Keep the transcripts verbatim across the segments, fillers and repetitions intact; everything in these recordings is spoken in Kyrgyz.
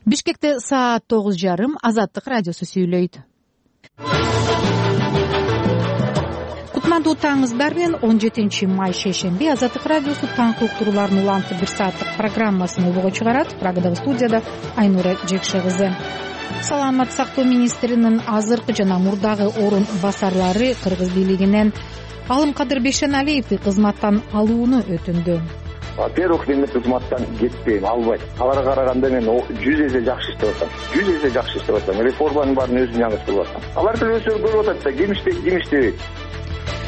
Бишкекте саат тогуз жарым. Азаттык радиосу сүйлөйт. Кутмандуу таңыңыздар менен он жетинчи май шейшемби Азаттык радиосу таңкы уктуруулардын уланты бир сааттык программасын обого чыгарат. Прагадагы студияда Айнура Жекше кызы. Саламаттык сактоо министринин азыркы жана мурдагы орун басарлары Кыргыз бийлигинен Алымкадыр Бейшеналиевди кызматтан алууну өтүндү. Во-первых, мен кызматтан кетпейм, албайт. Аларга караганда мен жүз эсе жакшы иштеп атам. жүз эсе жакшы иштеп атам. Реформанын баарын өзүм жаңы кылып атам. Алар деле өздөрү көрүп атат да, ким иштейт, ким иштебейт.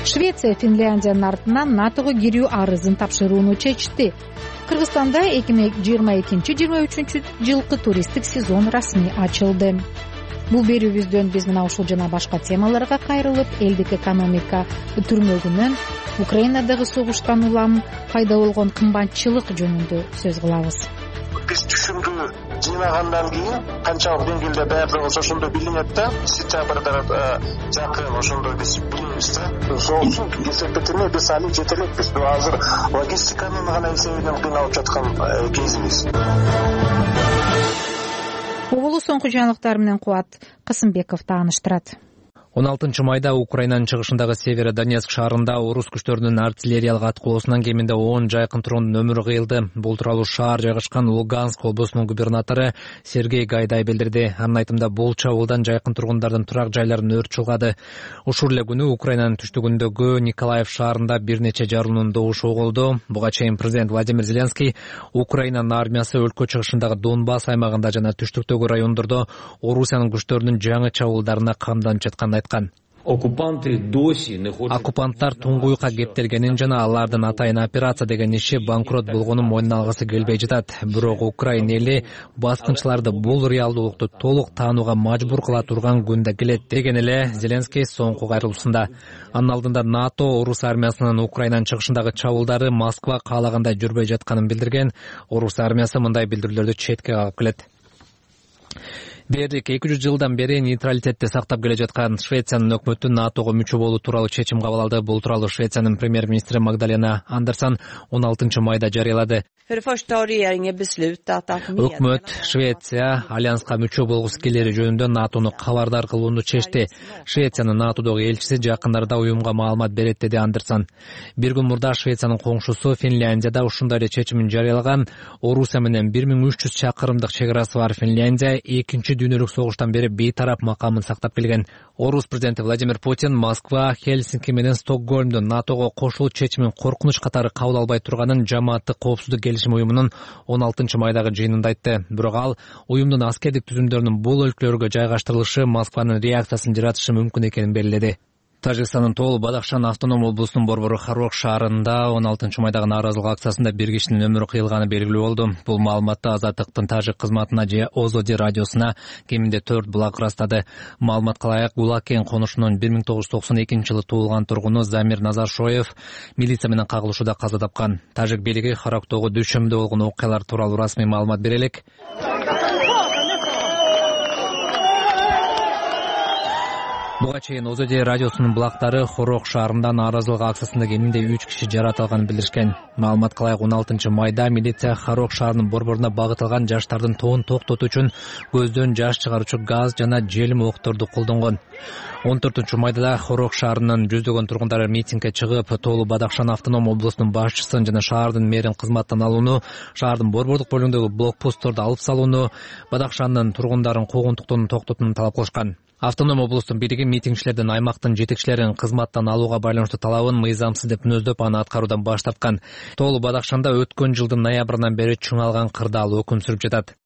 Швеция Финляндиянын артынан НАТОго кирүү арызын тапшырууну чечти. Кыргызстанда эки миң жыйырма экинчи жыйырма үчүнчү жылкы туристтик сезон расмий ачылды. Бул берүүбүздөн биз мына ушул жана башка темаларга кайрылып, элдик экономика түрмөгүнөн Украинадагы согуштан улам пайда болгон кымбатчылык жөнүндө сөз кылабыз. Биз түшүмдү жыйнагандан кийин канчалык деңгээлде даярдыгыбыз ошондо билинет да, сентябрда жакын ошондо биз билебиз да. Ошол үчүн эсептетиме биз али жете элекпиз. Азыр логистиканын гана эсебинен кыйналып жаткан кезибиз. Оболу соңку жаңылыктар менен Кубат Касымбеков тааныштырат. он алтынчы майда Украинанын чыгышындагы Северодонецк шаарында орус күчтөрүнүн артиллериялык аткылоосунан кеминде он жайкын тургундун өмүрү кыйылды. Бул тууралуу шаар жайгашкан Луганск облусунун губернатору Сергей Гайдай билдирди. Анын айтымында бул чабуулдан жайкын тургундардын турак жайларын өрт чулгады. Ушул эле күнү Украинанын түштүгүндөгү Николаев шаарында бир нече жарылуунун добушу угулду. Буга чейин президент Владимир Зеленский Украинанын армиясы өлкө чыгышындагы Донбасс аймагында жана түштүктөгү райондордо Орусиянын күчтөрүнүн жаңы чабуулдарына камданып жатканын айткан. Оккупанттар туңгуйка кептелгенин жана алардын атайын операция деген иши банкрот болгонун мойнуна алгысы келбей жатат. Бирок Украина эли баскынчыларды бул реалдуулукту толук таанууга мажбур кыла турган күндө келет деген эле Зеленский соңку кайрылуусунда. Анын алдында НАТО орус армиясынын Украинанын чыгышындагы чабуулдары Москва каалагандай жүрбөй жатканын билдирген. Орус армиясы мындай билдирүүлөрдү четке кагып келет. Бердик эки жүз жылдан бери нейтралитетти сактап келе жаткан Швециянын өкмөтү НАТОго мүчө болуу тууралуу чечим кабыл алды. Бул тууралуу Швециянын премьер-министри Магдалена Андерсон он алтынчы майда жарыялады. Өкмөт Швеция альянска мүчө болгусу келери жөнүндө НАТОну кабардар кылууну чечти. Швециянын НАТОдогу элчиси жакындарда уюмга маалымат берет, деди Андерсон. Бир күн мурда Швециянын коңшусу Финляндияда ушундай эле чечимин жарыялаган. Орусия менен бир миң үч жүз чакырымдык чек арасы бар Финляндия экинчи дүйнөлүк согуштан бери бейтарап макамын сактап келген. Орус президенти Владимир Путин Москва, Хельсинки менен Стокгольмдо НАТОго кошулуу чечимин коркунуч катары кабыл албай турганын жамааттык коопсуздук келишим уюмунун он алтынчы майдагы жыйынында айтты. Бирок ал уюмдун аскердик түзүмдөрүнүн бул өлкөлөргө жайгаштырылышы Москванын реакциясын жаратышы мүмкүн экенин белгиледи. Тажикстандын Тоол Бадахшан автоном облусунун борбору Харок шаарында он алтынчы майдагы нааразылык акциясында бир кишинин өмүрү кыйылганы белгилүү болду. Бул маалыматты Азаттыктын тажик кызматына же Озоди радиосуна кеминде төрт булак ырастады. Маалыматка ылайык, Гулакен конушунун бир миң тогуз жүз токсон экинчи жылы туулган тургуну Замир Назаршоев милиция менен кагылышууда каза тапкан. Тажик бийлиги Характогу дүйшөмбүдө болгон окуялар тууралуу расмий маалымат бере элек. Буга чейин Озоди радиосунун булактары Хорок шаарында нааразылык акциясында кеминде үч киши жаратылганын билдиришкен. Маалыматка ылайык он алтынчы майда милиция Хорок шаарынын борборуна багытылган жаштардын тоон токтотуу үчүн көздөн жаш чыгаруучу газ жана желим окторду колдонгон. он төртүнчү майда да Хорок шаарынын жүздөгөн тургундары митингге чыгып, Тоолу Бадахшан автоном облусунун башчысын жана шаардын мэрин кызматтан алууну, шаардын борбордук бөлүгүндөгү блокпостторду алып салууну, Бадахшандын тургундарын куугунтуктууну токтотууну талап кылышкан. Автоном облустун бийлиги митингчилердин аймактын жетекчилерин кызматтан алууга байланыштуу талабын мыйзамсыз деп мүнөздөп, аны аткаруудан баш тарткан. Тоолу Бадахшанда өткөн жылдын ноябрынан бери чыңалган кырдаал өкүм сүрүп жатат.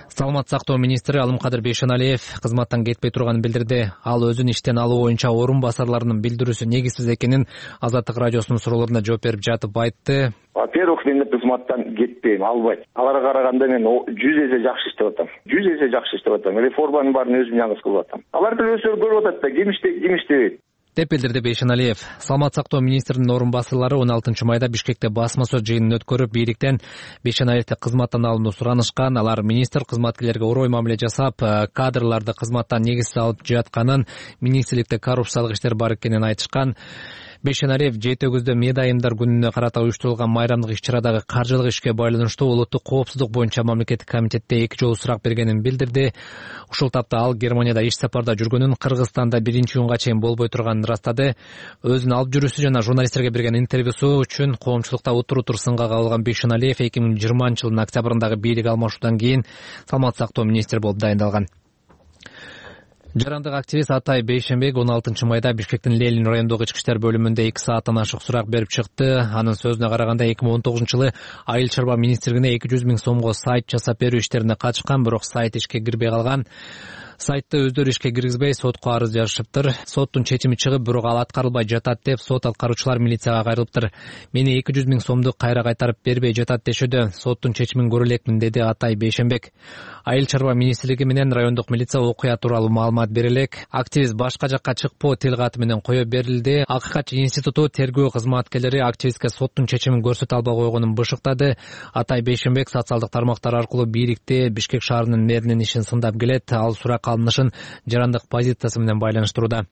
Саламаттык сактоо министри Алымкадыр Бейшеналиев кызматтан кетпей турганын билдирди. Ал өзүн иштен алуу боюнча орун басарларынын билдирүүсү негизсиз экенин Азаттык радиосунун суроолоруна жооп берип жатып айтты. Во-первых, мен кызматтан кетпейм, албайт. Аларга караганда мен жүз эсе жакшы иштеп атам. жүз эсе жакшы иштеп атам. Реформанын баарын өзүм жаңы кылып атам. Алар деле өздөрү көрүп атат да, ким иштейт, ким иштебейт. деп билдирди Бейшеналиев. Саламаттык сактоо министринин орун басарлары он алтынчы майда Бишкекте басма сөз жыйынын өткөрүп, бийликтен Бейшеналиевди кызматтан алууну суранышкан. Алар министр кызматкерлерге орой мамиле жасап, кадрларды кызматтан негизсиз алып жатканын, министрликте коррупциялык иштер бар экенин айтышкан. Бейшеналиев жети өгүздө мед айымдар күнүнө карата уюштурулган майрамдык иш-чарадагы каржылык ишке байланыштуу улуттук коопсуздук боюнча мамлекеттик комитетте эки жолу сурак бергенин билдирди. Ушул тапта ал Германияда иш сапарда жүргөнүн, Кыргызстанда биринчи июнга чейин болбой турганын ырастады. Өзүнүн алып жүрүүсү жана журналисттерге берген интервьюсу үчүн коомчулукта утур-утур сынга кабылган Бейшеналиев эки миң жыйырманчы жылдын октябрындагы бийлик алмашуудан кийин саламаттык сактоо министри болуп дайындалган. Жарандык активист Атай Бейшенбек он алтынчы майда Бишкектин Ленин райондогу ички иштер бөлүмүндө эки сааттан ашык сурак берип чыкты. Анын сөзүнө караганда эки миң он тогузунчу жылы Айыл чарба министрлигине эки жүз миң сомго сайт жасап берүү иштерине катышкан, бирок сайт ишке кирбей калган. Сайтты өздөрү ишке киргизбей сотко арыз жазышыптыр. Соттун чечими чыгып, бирок ал аткарылбай жатат деп сот аткаруучулар милицияга кайрылыптыр. Мени эки жүз миң сомду кайра кайтарып бербей жатат дешүүдө. Соттун чечимин көрө элекмин, деди Атай Бейшенбек. Айыл чарба министрлиги менен райондук милиция окуя тууралуу маалымат бере элек. Активист башка жакка чыкпоо тил каты менен кое берилди. Акыйкатчы институту тергөө кызматкерлери активистке соттун чечимин көрсөтө албай койгонун бышыктады. Атай Бейшенбек социалдык тармактар аркылуу бийликти, Бишкек шаарынын мэринин ишин сындап келет. Ал сурак алынышын жарандык позициясы менен байланыштырууда.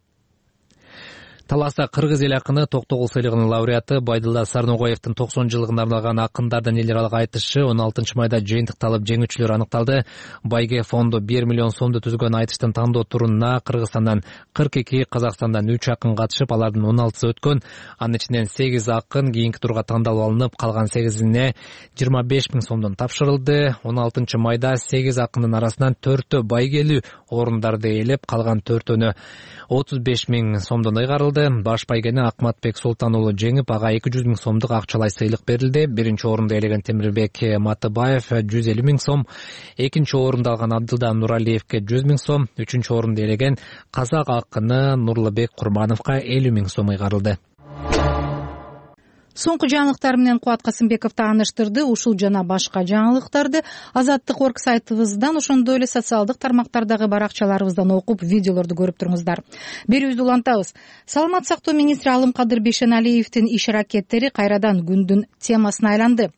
Таласта кыргыз эл акыны Токтогул сыйлыгынын лауреаты Байдылда Сарногоевдин токсон жылдыгына арналган акындардын эл аралык айтышы он алтынчы майда жыйынтыкталып, жеңүүчүлөр аныкталды. Байге фонду бир миллион сомду түзгөн айтыштын тандоо турунда Кыргызстандан кырк эки, Казакстандан үч акын катышып, алардын он алтысы өткөн. Анын ичинен сегиз акын кийинки турга тандалып алынып, калган сегизине жыйырма беш миң сомдон тапшырылды. он алтынчы майда сегиз акындын арасынан төртөө байгелүү орундарды ээлеп, калган төртөөнө отуз беш миң сомдон ыйгарылды. Баш байгени Акматбек Султан уулу жеңип, ага эки жүз миң сомдук акчалай сыйлык берилди. Биринчи орунду ээлеген Темирбек Матыбаев жүз элүү миң сом, экинчи орунду алган Абдылда Нуралиевке жүз миң сом, үчүнчү орунду ээлеген Казак акыны Нурлубек Курмановго элүү миң сом ыйгарылды. Соңку жаңылыктар менен Кубат Касымбеков тааныштырды. Ушул жана башка жаңылыктарды Азаттык орг сайтыбыздан, ошондой эле социалдык тармактардагы баракчаларыбыздан окуп, видеолорду көрүп туруңуздар. Берүүбүздү улантабыз. Саламаттык сактоо министри Алымкадыр Бейшеналиевдин иш-аракеттери кайрадан күндүн темасына айланды.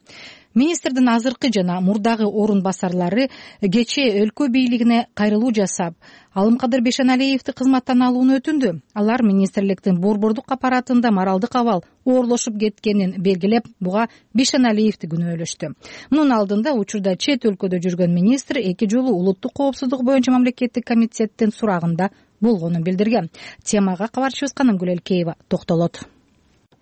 Министрдин азыркы жана мурдагы орун басарлары кечээ өлкө бийлигине кайрылуу жасап, Алымкадыр Бейшеналиевди кызматтан алууну өтүндү. Алар министрликтин борбордук аппаратында моралдык абал оорлошуп кеткенин белгилеп, буга Бейшеналиевди күнөөлөштү. Мунун алдында учурда чет өлкөдө жүргөн министр эки жолу улуттук коопсуздук боюнча мамлекеттик комитеттин сурагында болгонун билдирген. Темага кабарчыбыз Канымгүл Элкеева токтолот.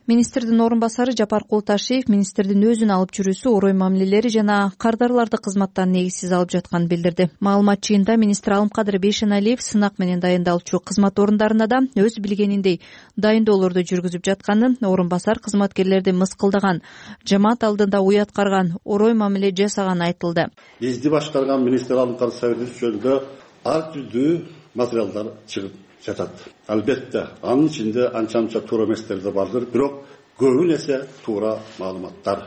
Министрдин орун басары Жапар Култашев министрдин өзүн алып жүрүүсү, орой мамилелери жана кардарларды кызматтан негизсиз алып жатканын билдирди. Маалымат жыйында министр Алымкадыр Бейшеналиев сынак менен дайындалчу кызмат орундарына да өз билгениндей дайындоолорду жүргүзүп жатканын, орун басар кызматкерлерди мыскылдаган, жамаат алдында уяткарган, орой мамиле жасаганын айтылды. Бизди башкарган министр Алымкадыр Сабирович жөнүндө ар түрдүү материалдар чыгып жатат. Албетте, анын ичинде анча-анча туура эместер да бардыр, бирок көбүн эсе туура маалыматтар.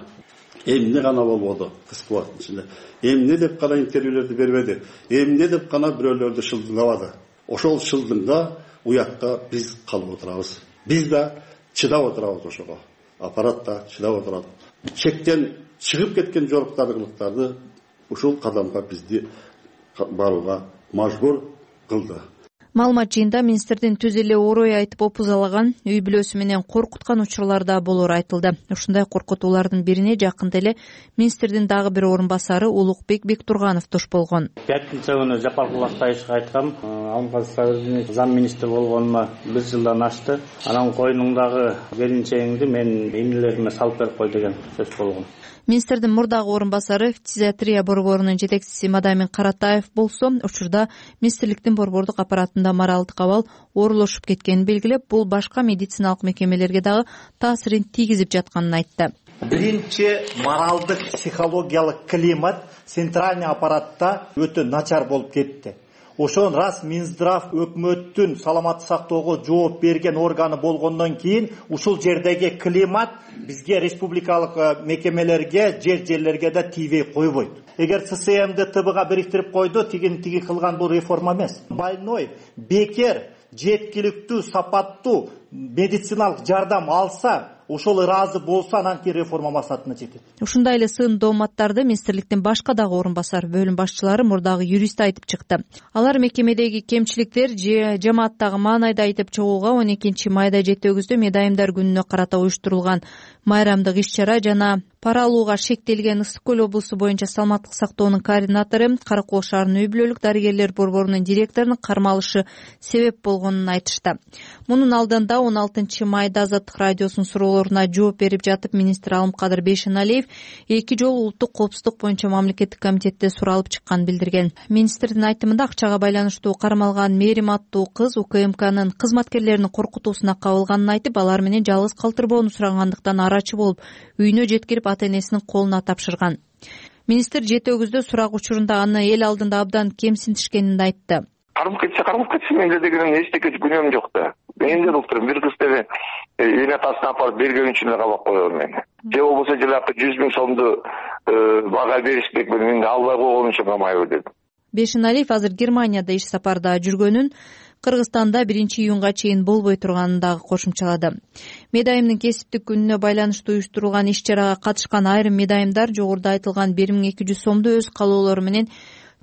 Эмне гана болбоду кыска убакыттын ичинде? Эмне деп гана интервьюлерди бербеди? Эмне деп гана бирөөлөрдү шылдыңдабады? Ошол шылдыңда уякта биз калып отурабыз. Биз да чыдап отурабыз ошого. Аппарат да чыдап отурат. Чектен чыгып кеткен жоруктарды кылыктарды ушул кадамга бизди барууга мажбур кылды. Маалымат жыйында министрдин түз эле орой айтып опузалаган, үй бүлөсү менен коркуткан учурлар да болору айтылды. Ушундай коркутуулардын бирине жакында эле министрдин дагы бир орун басары Улукбек Бектурганов туш болгон. Пятница күнү Жапар Култашевге айткам, Алымкадыр Сабирович зам министр болгонума бир жылдан ашты. Анан койнуңдагы келинчегиңди мен эмнелериме салып берип кой деген сөз болгон. Министрдин мурдагы орун басары фтизиатрия борборунун жетекчиси Мадамин Каратаев болсо, учурда министрликтин борбордук аппаратында моралдык абал оорлошуп кеткенин белгилеп, бул башка медициналык мекемелерге дагы таасирин тийгизип жатканын айтты. Биринчи, моралдык психологиялык климат центральный аппаратта өтө начар болуп кетти. Ошон рас Минздрав өкмөттүн саламаттык сактоого жооп берген органы болгондон кийин ушул жердеги климат бизге республикалык мекемелерге, жер жерлерге да тийбей койбойт. Эгер ЦСМди ТБга бириктирип койду, тигин тиги кылган бул реформа эмес. Больной бекер жеткиликтүү, сапаттуу медициналык жардам алса, ошол ыраазы болсо анан кийин реформа максатына жетет. Ушундай эле сын дооматтарды министрликтин башка дагы орун басар бөлүм башчылары мурдагы юрист айтып чыкты. Алар мекемедеги кемчиликтер же жамааттагы маанайды айтып чыгууга он экинчи майда Жети Өгүздө Медайымдар күнүнө карата уюштурулган майрамдык иш-чара жана пара алууга шектелген Ысык Көл облусу боюнча саламаттык сактоонун координатору, Каракол шаарынын үй-бүлөлүк дарыгерлер борборунун директорунун кармалышы себеп болгонун айтышты. Мунун алдында он алтынчы майда Азаттык радиосунун суроолоруна жооп берип жатып министр Алымкадыр Бейшеналиев эки жолу улуттук коопсуздук боюнча мамлекеттик комитетте суралып чыкканын билдирген. Министрдин айтымында акчага байланыштуу кармалган Мээрим аттуу кыз УКМКнын кызматкерлеринин коркутуусуна кабылганын айтып, алар менен жалгыз калтырбоону сурагандыктан арачы болуп үйүнө жеткирип ата энесинин колуна тапшырган. Министр Жети Өгүздө сурак учурунда аны эл алдында абдан кемсинтишкенин айтты. Кармап кетсе кармап кетсин, менде деген эчтеке күнөөм жок да. Мен эле былтыр бир кыз деле эне атасына апарып берген үчүн эле кабап койгон мени. Же болбосо жылакы жүз миң сомду бага беришпек, мен албай койгон үчүн камайбы дедим. Бейшеналиев азыр Германияда иш сапарда жүргөнүн, Кыргызстанда биринчи июнга чейин болбой турганын дагы кошумчалады. Медайымдын кесиптик күнүнө байланыштуу уюштурулган иш-чарага катышкан айрым медайымдар жогоруда айтылган бир миң эки жүз сомду өз калоолору менен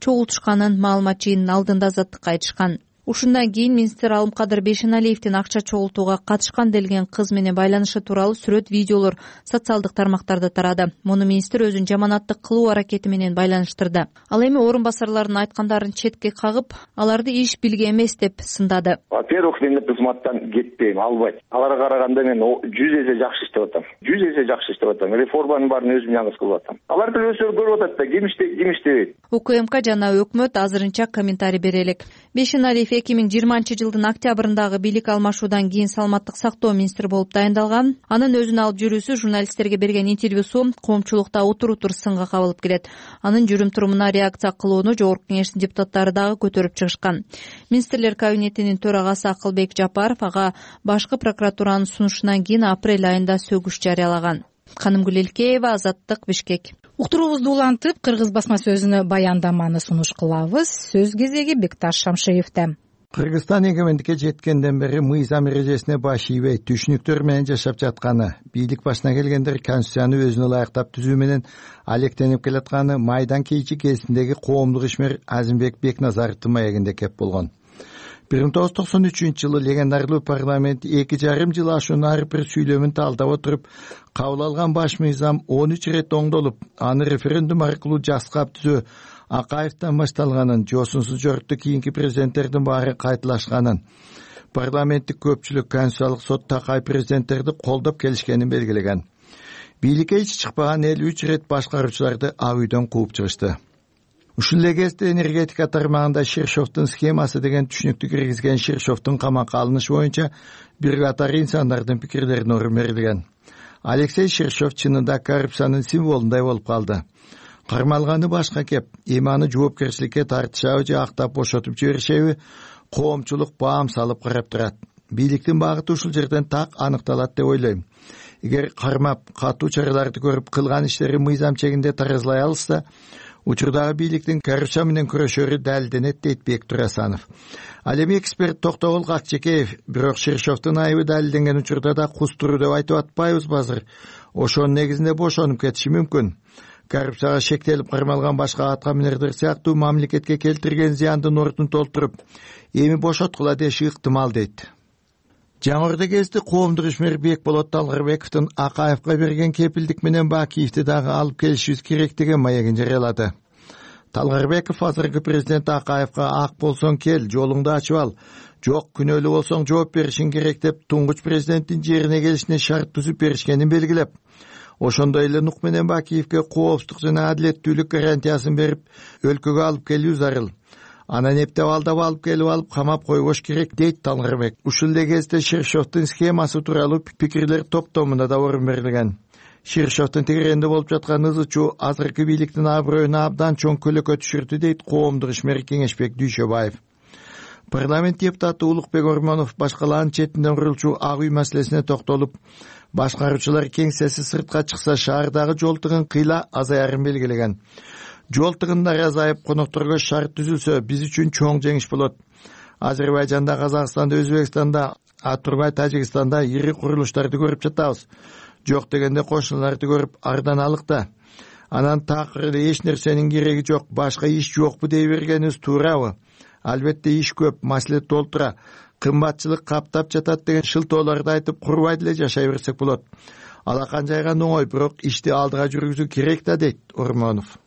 чогултушканын маалыматчынын алдында Азаттыкка айтышкан. Ушундан кийин министр Алымкадыр Бейшеналиевдин акча чогултууга катышкан делген кыз менен байланышы тууралуу сүрөт, видеолор социалдык тармактарда тарады. Муну министр өзүнүн жаманаттык кылуу аракети менен байланыштырды. Ал эми орун басарларынын айткандарын четке кагып, аларды иш билге эмес деп сындады. Во-первых, мен кызматтан кетпейм, албайт. Аларга караганда мен жүз эсе жакшы иштеп атам. жүз эсе жакшы иштеп атам. Реформанын баарын өзүм жалгыз кылып атам. Алар деле өздөрү көрүп атат да, ким иштейт, ким иштебейт. УКМК жана өкмөт азырынча комментарий бере элек. Бейшеналиев эки миң жыйырманчы жылдын октябрындагы бийлик алмашуудан кийин саламаттык сактоо министри болуп дайындалган. Анын өзүн алып жүрүүсү журналисттерге берген интервьюсу коомчулукта утур-утур сынга кабылып келет. Анын жүрүм-турумуна реакция кылууну жогорку кеңештин депутаттары дагы көтөрүп чыгышкан. Министрлер кабинетинин төрагасы Акылбек Жапаров ага башкы прокуратуранын сунушунан кийин апрель айында сөгүш жарыялаган. Канымгүл Элкеева, Азаттык, Бишкек. Уктуруубузду улантып, Кыргыз басма сөзүнө баяндаманы сунуш кылабыз. Сөз кезеги Бекташ Шамшиевде. Кыргызстан эгемендикке жеткенден бери мыйзам эрежесине баш ийбей, түшүнүктөр менен жашап жатканы, бийлик башына келгендер конституцияны өзүнө ылайыктап түзүү менен алектенип келатканы майдан кийинки кезиндеги коомдук ишмер Азимбек Бекназаровдун маегинде кеп болгон. бир миң тогуз жүз токсон үчүнчү жылы легендарлуу парламент эки жарым жыл ашуунун ар бир сүйлөмүн талдап отуруп, кабыл алган баш мыйзам он үч ирет оңдолуп, аны референдум аркылуу жаскап түзөө Акаевден башталганын, жосунсуз жорукта кийинки президенттердин баары кайталашканын, парламенттик көпчүлүк Конституциялык сот Такай президенттерди колдоп келишкенин белгилеген. Бийликке ич чыкпаган эл үч ирет башкаруучуларды ак үйдөн кууп чыгышты. Ушул эле кезде энергетика тармагында Ширшовдун схемасы деген түшүнүктү киргизген Ширшовдун камакка алынышы боюнча бир катар инсандардын пикирлерине орун берилген. Алексей Ширшов чынында коррупциянын символундай болуп калды. Кармалганы башка кеп, эми аны жоопкерчиликке тартышабы же актап бошотуп жиберишеби, коомчулук баам салып карап турат. Бийликтин багыты ушул жерден так аныкталат деп ойлойм. Эгер кармап, катуу чараларды көрүп кылган иштери мыйзам чегинде таразалай алышса, учурдагы бийликтин коррупция менен күрөшөрү далилденет, дейт Бектур Асанов. Ал эми эксперт Токтогул Какчекеев, бирок Ширшовдун айыбы далилденген учурда да кустуруу деп айтып атпайбызбы азыр? Ошонун негизинде бошонуп кетиши мүмкүн. Коррупцияга шектелип кармалган башка аткаминерлер сыяктуу мамлекетке келтирген зыяндын ордун толтуруп, эми бошоткула деши ыктымал, дейт. Жаңы Орда кезди коомдук ишмер Бекболот Талгарбековдун Акаевга берген кепилдик менен Бакиевди дагы алып келишибиз керек деген маегин жарыялады. Талгарбеков азыркы президент Акаевга ак болсоң кел, жолуңду ачып ал, жок күнөөлүү болсоң жооп беришиң керек деп туңгуч президенттин жерине келишине шарт түзүп беришкенин белгилеп, ошондой эле нук менен Бакиевге коопсуздук жана адилеттүүлүк гарантиясын берип, өлкөгө алып келүү зарыл. Анан эптеп алдап алып келип алып камап койгош керек, дейт Талгарбек. Ушул эле кезде Ширшовдун схемасы тууралуу пикирлер топтомунда да орун берилген. Ширшовдун тегеренде болуп жаткан ызычуу азыркы бийликтин аброюна абдан чоң көлөкө түшүрдү, дейт коомдук ишмер Кеңешбек Дүйшөбаев. Парламент депутаты Улукбек Ормонов башкалаанын четинден курулчу ак үй маселесине токтолуп, башкаруучулар кеңсеси сыртка чыкса шаардагы жол тыгын кыйла азаярын белгилеген. Жол тыгындар азайып, конокторго шарт түзүлсө, биз үчүн чоң жеңиш болот. Азербайжанда, Казакстанда, Өзбекстанда А турбай Тажикстанда ири курулуштарды көрүп жатабыз. Жок дегенде кошуналарды көрүп арданалык да. Анан такыр эле эч нерсенин кереги жок, башка иш жокпу дей бергенибиз туурабы? Албетте иш көп, маселе толтура, кымбатчылык каптап жатат деген шылтоолорду айтып курбай деле жашай берсек болот. Алакан жайган оңой, бирок ишти алдыга жүргүзүү керек да, дейт Ормонов.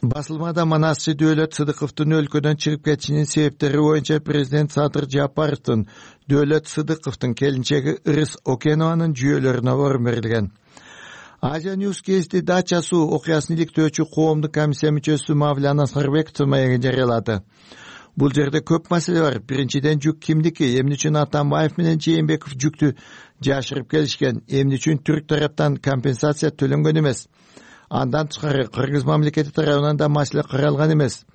Басылмада манасчы Дөөлөт Сыдыковдун өлкөдөн чыгып кетишинин себептери боюнча президент Садыр Жапаровдун Дөөлөт Сыдыковдун келинчеги Ырыс Окенованын жүйөлөрүнө орун берилген. Азия Ньюс кезди Дача суу окуясын иликтөөчү коомдук комиссия мүчөсү Мавляна Сарбековдун маегин жарыялады. Бул жерде көп маселе бар. Биринчиден, жүк кимдики? Эмне үчүн Атамбаев менен Жээнбеков жүктү жашырып келишкен? Эмне үчүн түрк тараптан компенсация төлөнгөн эмес? Андан тышкары Кыргыз мамлекети тарабынан да маселе каралган эмес.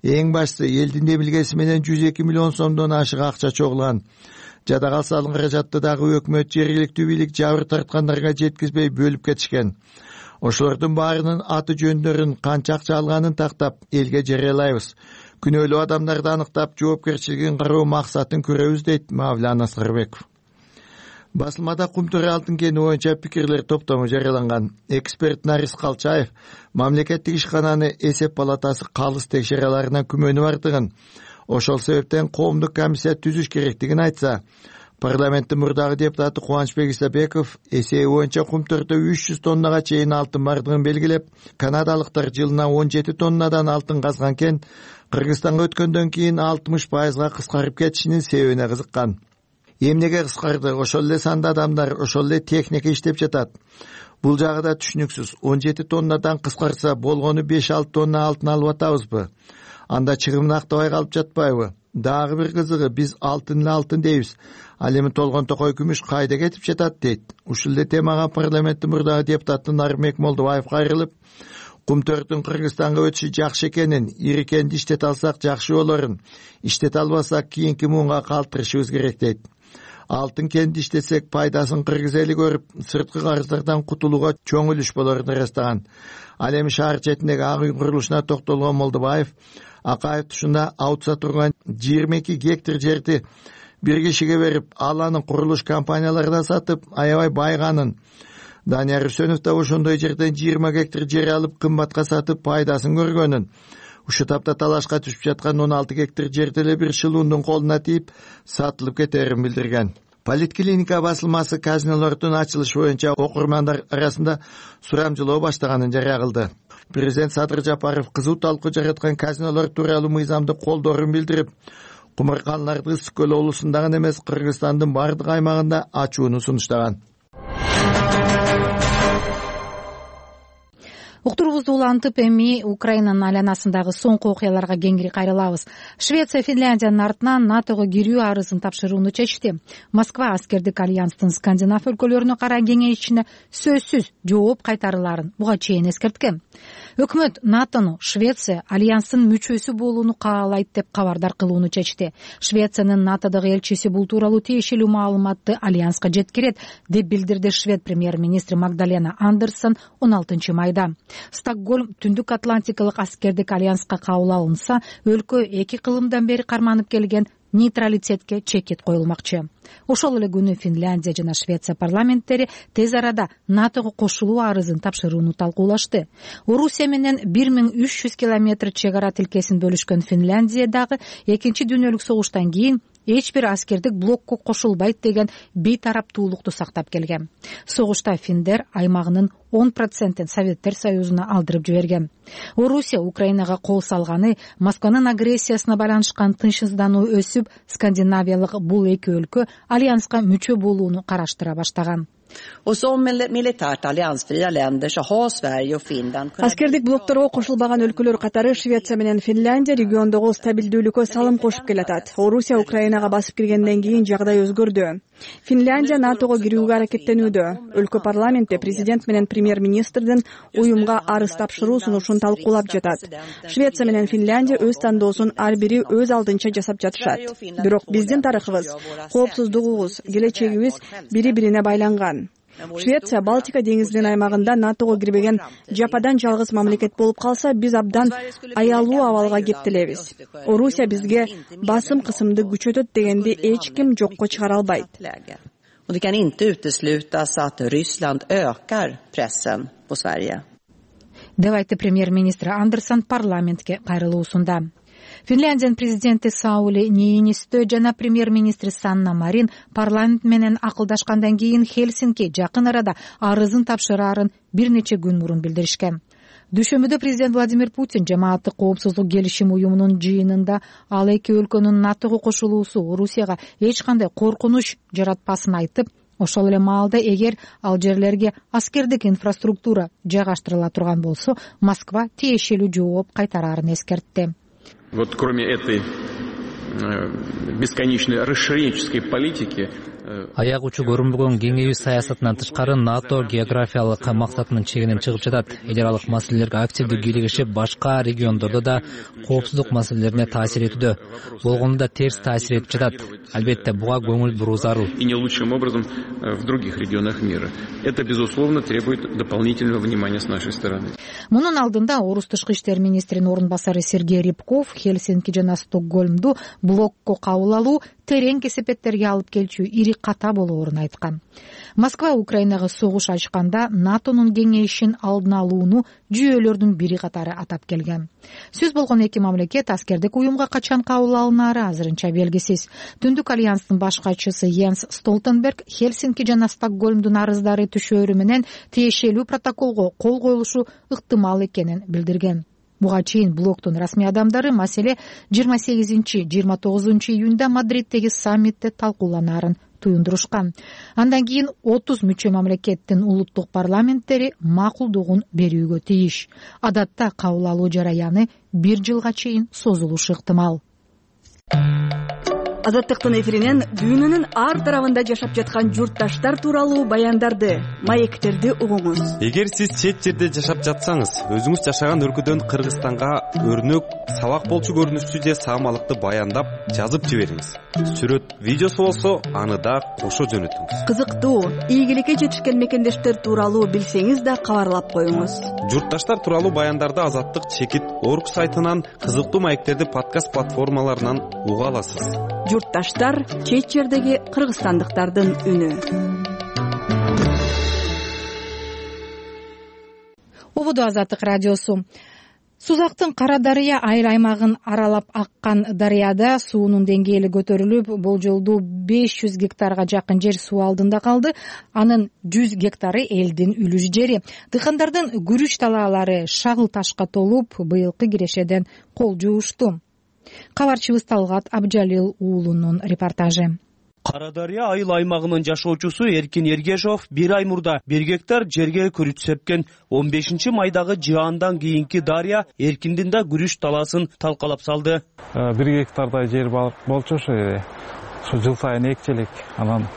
Эң башкысы, элдин демилгеси менен жүз эки миллион сомдон ашык акча чогулган. Жада калса алынган каражатты дагы өкмөт, жергиликтүү бийлик жабыр тарткандарга жеткизбей бөлүп кетишкен. Ошолордун баарынын аты жөндөрүн, канча акча алганын тактап элге жарыялайбыз. Күнөөлүү адамдарды аныктап, жоопкерчилигин кароо максатын көрөбүз, дейт Мавляна Сарбеков. Басылмада Кумтөр алтын кени боюнча пикирлер топтому жарыяланган. Эксперт Нарис Калчаев мамлекеттик ишкананы эсеп палатасы калыс текшере аларынан күмөнү бардыгын, ошол себептен коомдук комиссия түзүш керектигин айтса, парламенттин мурдагы депутаты Кубанычбек Исабеков эсеби боюнча Кумтөрдө үч жүз тоннага чейин алтын бардыгын белгилеп, канадалыктар жылына он жети тоннадан алтын казган кен Кыргызстанга өткөндөн кийин алтымыш пайызга кыскарып кетишинин себебине кызыккан. Эмнеге кыскарды? Ошол эле санда адамдар, ошол эле техника иштеп жатат. Бул жагы да түшүнүксүз. он жети тоннадан кыскарса болгону беш алты тонна алтын алып атабызбы? Анда чыгымын актабай калып жатпайбы? Дагы бир кызыгы, биз алтын эле алтын дейбиз. Ал эми толгон токой күмүш кайда кетип жатат, дейт. Ушул эле темага парламенттин мурдагы депутаты Нармек Молдобаев кайрылып, Кумтөрдүн Кыргызстанга өтүшү жакшы экенин, ири кенди иштете алсак жакшы болорун, иштете албасак кийинки муунга калтырышыбыз керек, дейт. Алтын кенди иштесек пайдасын кыргыз эли көрүп, сырткы карыздардан кутулууга чоң үлүш болорун ырастаган. Ал эми шаар четиндеги ак үй курулушуна токтолгон Молдобаев, Акаев тушунда аутса турган жыйырма эки гектар жерди бир кишиге берип, ал аны курулуш компанияларына сатып, аябай байганын, Данияр Үсөнов да ошондой жерден жыйырма гектар жер алып, кымбатка сатып, пайдасын көргөнүн, ушу тапта талашка түшүп жаткан он алты гектар жерди эле бир шылуундун колуна тийип, сатылып кетерин билдирген. Политклиника басылмасы казинолордун ачылышы боюнча окурмандар арасында сурамжылоо баштаганын жарыя кылды. Президент Садыр Жапаров кызуу талкуу жараткан казинолор тууралуу мыйзамды колдоорун билдирип, кумарканаларды Ысык көл облусунда гана эмес, Кыргызстандын бардык аймагында ачууну сунуштаган. Уктуруубузду улантып, эми Украинанын айланасындагы соңку окуяларга кеңири кайрылабыз. Швеция Финляндиянын артынан НАТОго кирүү арызын тапшырууну чечти. Москва аскердик альянстын скандинав өлкөлөрүнө караа кеңейишине сөзсүз жооп кайтарыларын буга чейин эскерткен. Өкмөт НАТОну Швеция альянстын мүчөсү болууну каалайт деп кабардар кылууну чечти. Швециянын НАТОдогу элчиси бул тууралуу тиешелүү маалыматты альянска жеткирет, деп билдирди швед премьер-министри Магдалена Андерсон он алтынчы майда. Стокгольм Түндүк Атлантикалык аскердик альянска кабыл алынса, өлкө эки кылымдан бери карманып келген нейтралитетке чекит коюлмакчы. Ошол эле күнү Финляндия жана Швеция парламенттери тез арада НАТОго кошулуу арызын тапшырууну талкуулашты. Орусия менен бир миң үч жүз километр чек ара тилкесин бөлүшкөн Финляндия дагы экинчи дүйнөлүк согуштан кийин эч бир аскердик блокко кошулбайт деген бейтараптуулукту сактап келген. Согушта финдер аймагынын он процентин Советтер Союзуна алдырып жиберген. Орусия Украинага кол салганы Москванын агрессиясына байланышкан тынчсыздануу өсүп, скандинавиялык бул эки өлкө альянска мүчө болууну караштыра баштаган. Аскердик блокторго кошулбаган өлкөлөр катары Швеция менен Финляндия региондогу стабилдүүлүккө салым кошуп келатат. Орусия Украинага басып киргенден кийин жагдай өзгөрдү. Финляндия НАТОго кирүүгө аракеттенүүдө. Өлкө парламенти президент менен премьер-министрдин уюмга арыз тапшыруу сунушун талкуулап жатат. Швеция менен Финляндия өз тандоосун ар бири өз алдынча жасап жатышат. Бирок биздин тарыхыбыз, коопсуздугубуз, келечегибиз бири-бирине байланган. Швеция Балтика деңизинин аймагында натого кирбеген жападан жалгыз мамлекет болуп калса, биз абдан аялуу абалга кептелебиз. Орусия бизге басым кысымды күчөтөт дегенди эч ким жокко чыгара албайт. Och det kan inte uteslutas att Ryssland ökar pressen på Sverige. деп айтты премьер-министр Андерсон парламентке кайрылуусунда. Финляндиянын президенти Саули Ниинистö жана премьер-министри Санна Марин парламент менен акылдашкандан кийин Хельсинки жакын арада арызын тапшыраарын бир нече күн мурун билдиришкен. Дүйшөмбүдө президент Владимир Путин жамааттык коопсуздук келишим уюмунун жыйынында ал эки өлкөнүн натого кошулуусу Орусияга эч кандай коркунуч жаратпасын айтып, ошол эле маалда эгер ал жерлерге аскердик инфраструктура жайгаштырыла турган болсо, Москва тиешелүү жооп кайтараарын эскертти. Вот кроме этой бесконечной расширенческой политики, аяк учу көрүнбөгөн кеңейүү саясатынан тышкары НАТО географиялык максатынын чегинен чыгып жатат. Эл аралык маселелерге активдүү кийлигишип, башка региондордо да коопсуздук маселелерине таасир этүүдө, болгону да терс таасир этип жатат. Албетте буга көңүл буруу зарыл. И не лучшим образом в других регионах мира. Это безусловно требует дополнительного внимания с нашей стороны. Мунун алдында орус тышкы иштер министринин орун басары Сергей Рябков Хельсинки жана Стокгольмду блокко кабыл алуу терең кесепеттерге алып келчү ири ката болоорун айткан. Москва Украинага согуш ачканда НАТОнун кеңейишин алдын алууну жүйөлөрдүн бири катары атап келген. Сөз болгон эки мамлекет аскердик уюмга качан кабыл алынары азырынча белгисиз. Түндүк альянстын баш катчысы Йенс Столтенберг Хельсинки жана Стокгольмдун арыздары түшөөрү менен тиешелүү протоколго кол коюлушу ыктымал экенин билдирген. Буга чейин блоктун расмий адамдары маселе жыйырма сегизинчи жыйырма тогузунчу июнда Мадриттеги саммитте талкууланаарын туюндурушкан. Андан кийин отуз мүчө мамлекеттин улуттук парламенттери макулдугун берүүгө тийиш. Адатта кабыл алуу жараяны бир жылга чейин созулушу ыктымал. Азаттыктын эфиринен дүйнөнүн ар тарабында жашап жаткан журтташтар тууралуу баяндарды, маектерди угуңуз. Эгер сиз чет жерде жашап жатсаңыз, өзүңүз жашаган өлкөдөн Кыргызстанга өрнөк, сабак болчу көрүнүштүү же саамалыкты баяндап, жазып жибериңиз. Сүрөт, видеосу болсо, аны да кошо жөнөтүңүз. Кызыктуу, ийгиликке жетишкен мекендештер тууралуу билсеңиз да кабарлап коюңуз. Журтташтар тууралуу баяндарды Азаттык чекит орг сайтынан, кызыктуу маектерди подкаст платформаларынан уга аласыз. Журтташтар чет жердеги кыргызстандыктардын үнү. Ободо Азаттык радиосу. Сузактын Кара Дарыя айыл аймагын аралап аккан дарыяда суунун деңгээли көтөрүлүп, болжолдуу беш жүз гектарга жакын жер суу алдында калды. Анын жүз гектары элдин үлүш жери. Дыйкандардын күрүч талаалары шагыл ташка толуп, быйылкы кирешеден кол жуушту. Кабарчыбыз Талгат Абжалил уулунун репортажы. Кара Дарыя айыл аймагынын жашоочусу Эркин Ергешов бир ай мурда бир гектар жерге күрүч сепкен. он бешинчи майдагы жаандан кийинки дарыя Эркиндин да күрүч талаасын талкалап салды. бир гектардай жер болчу ошо ошо жыл сайын экчелик. Анан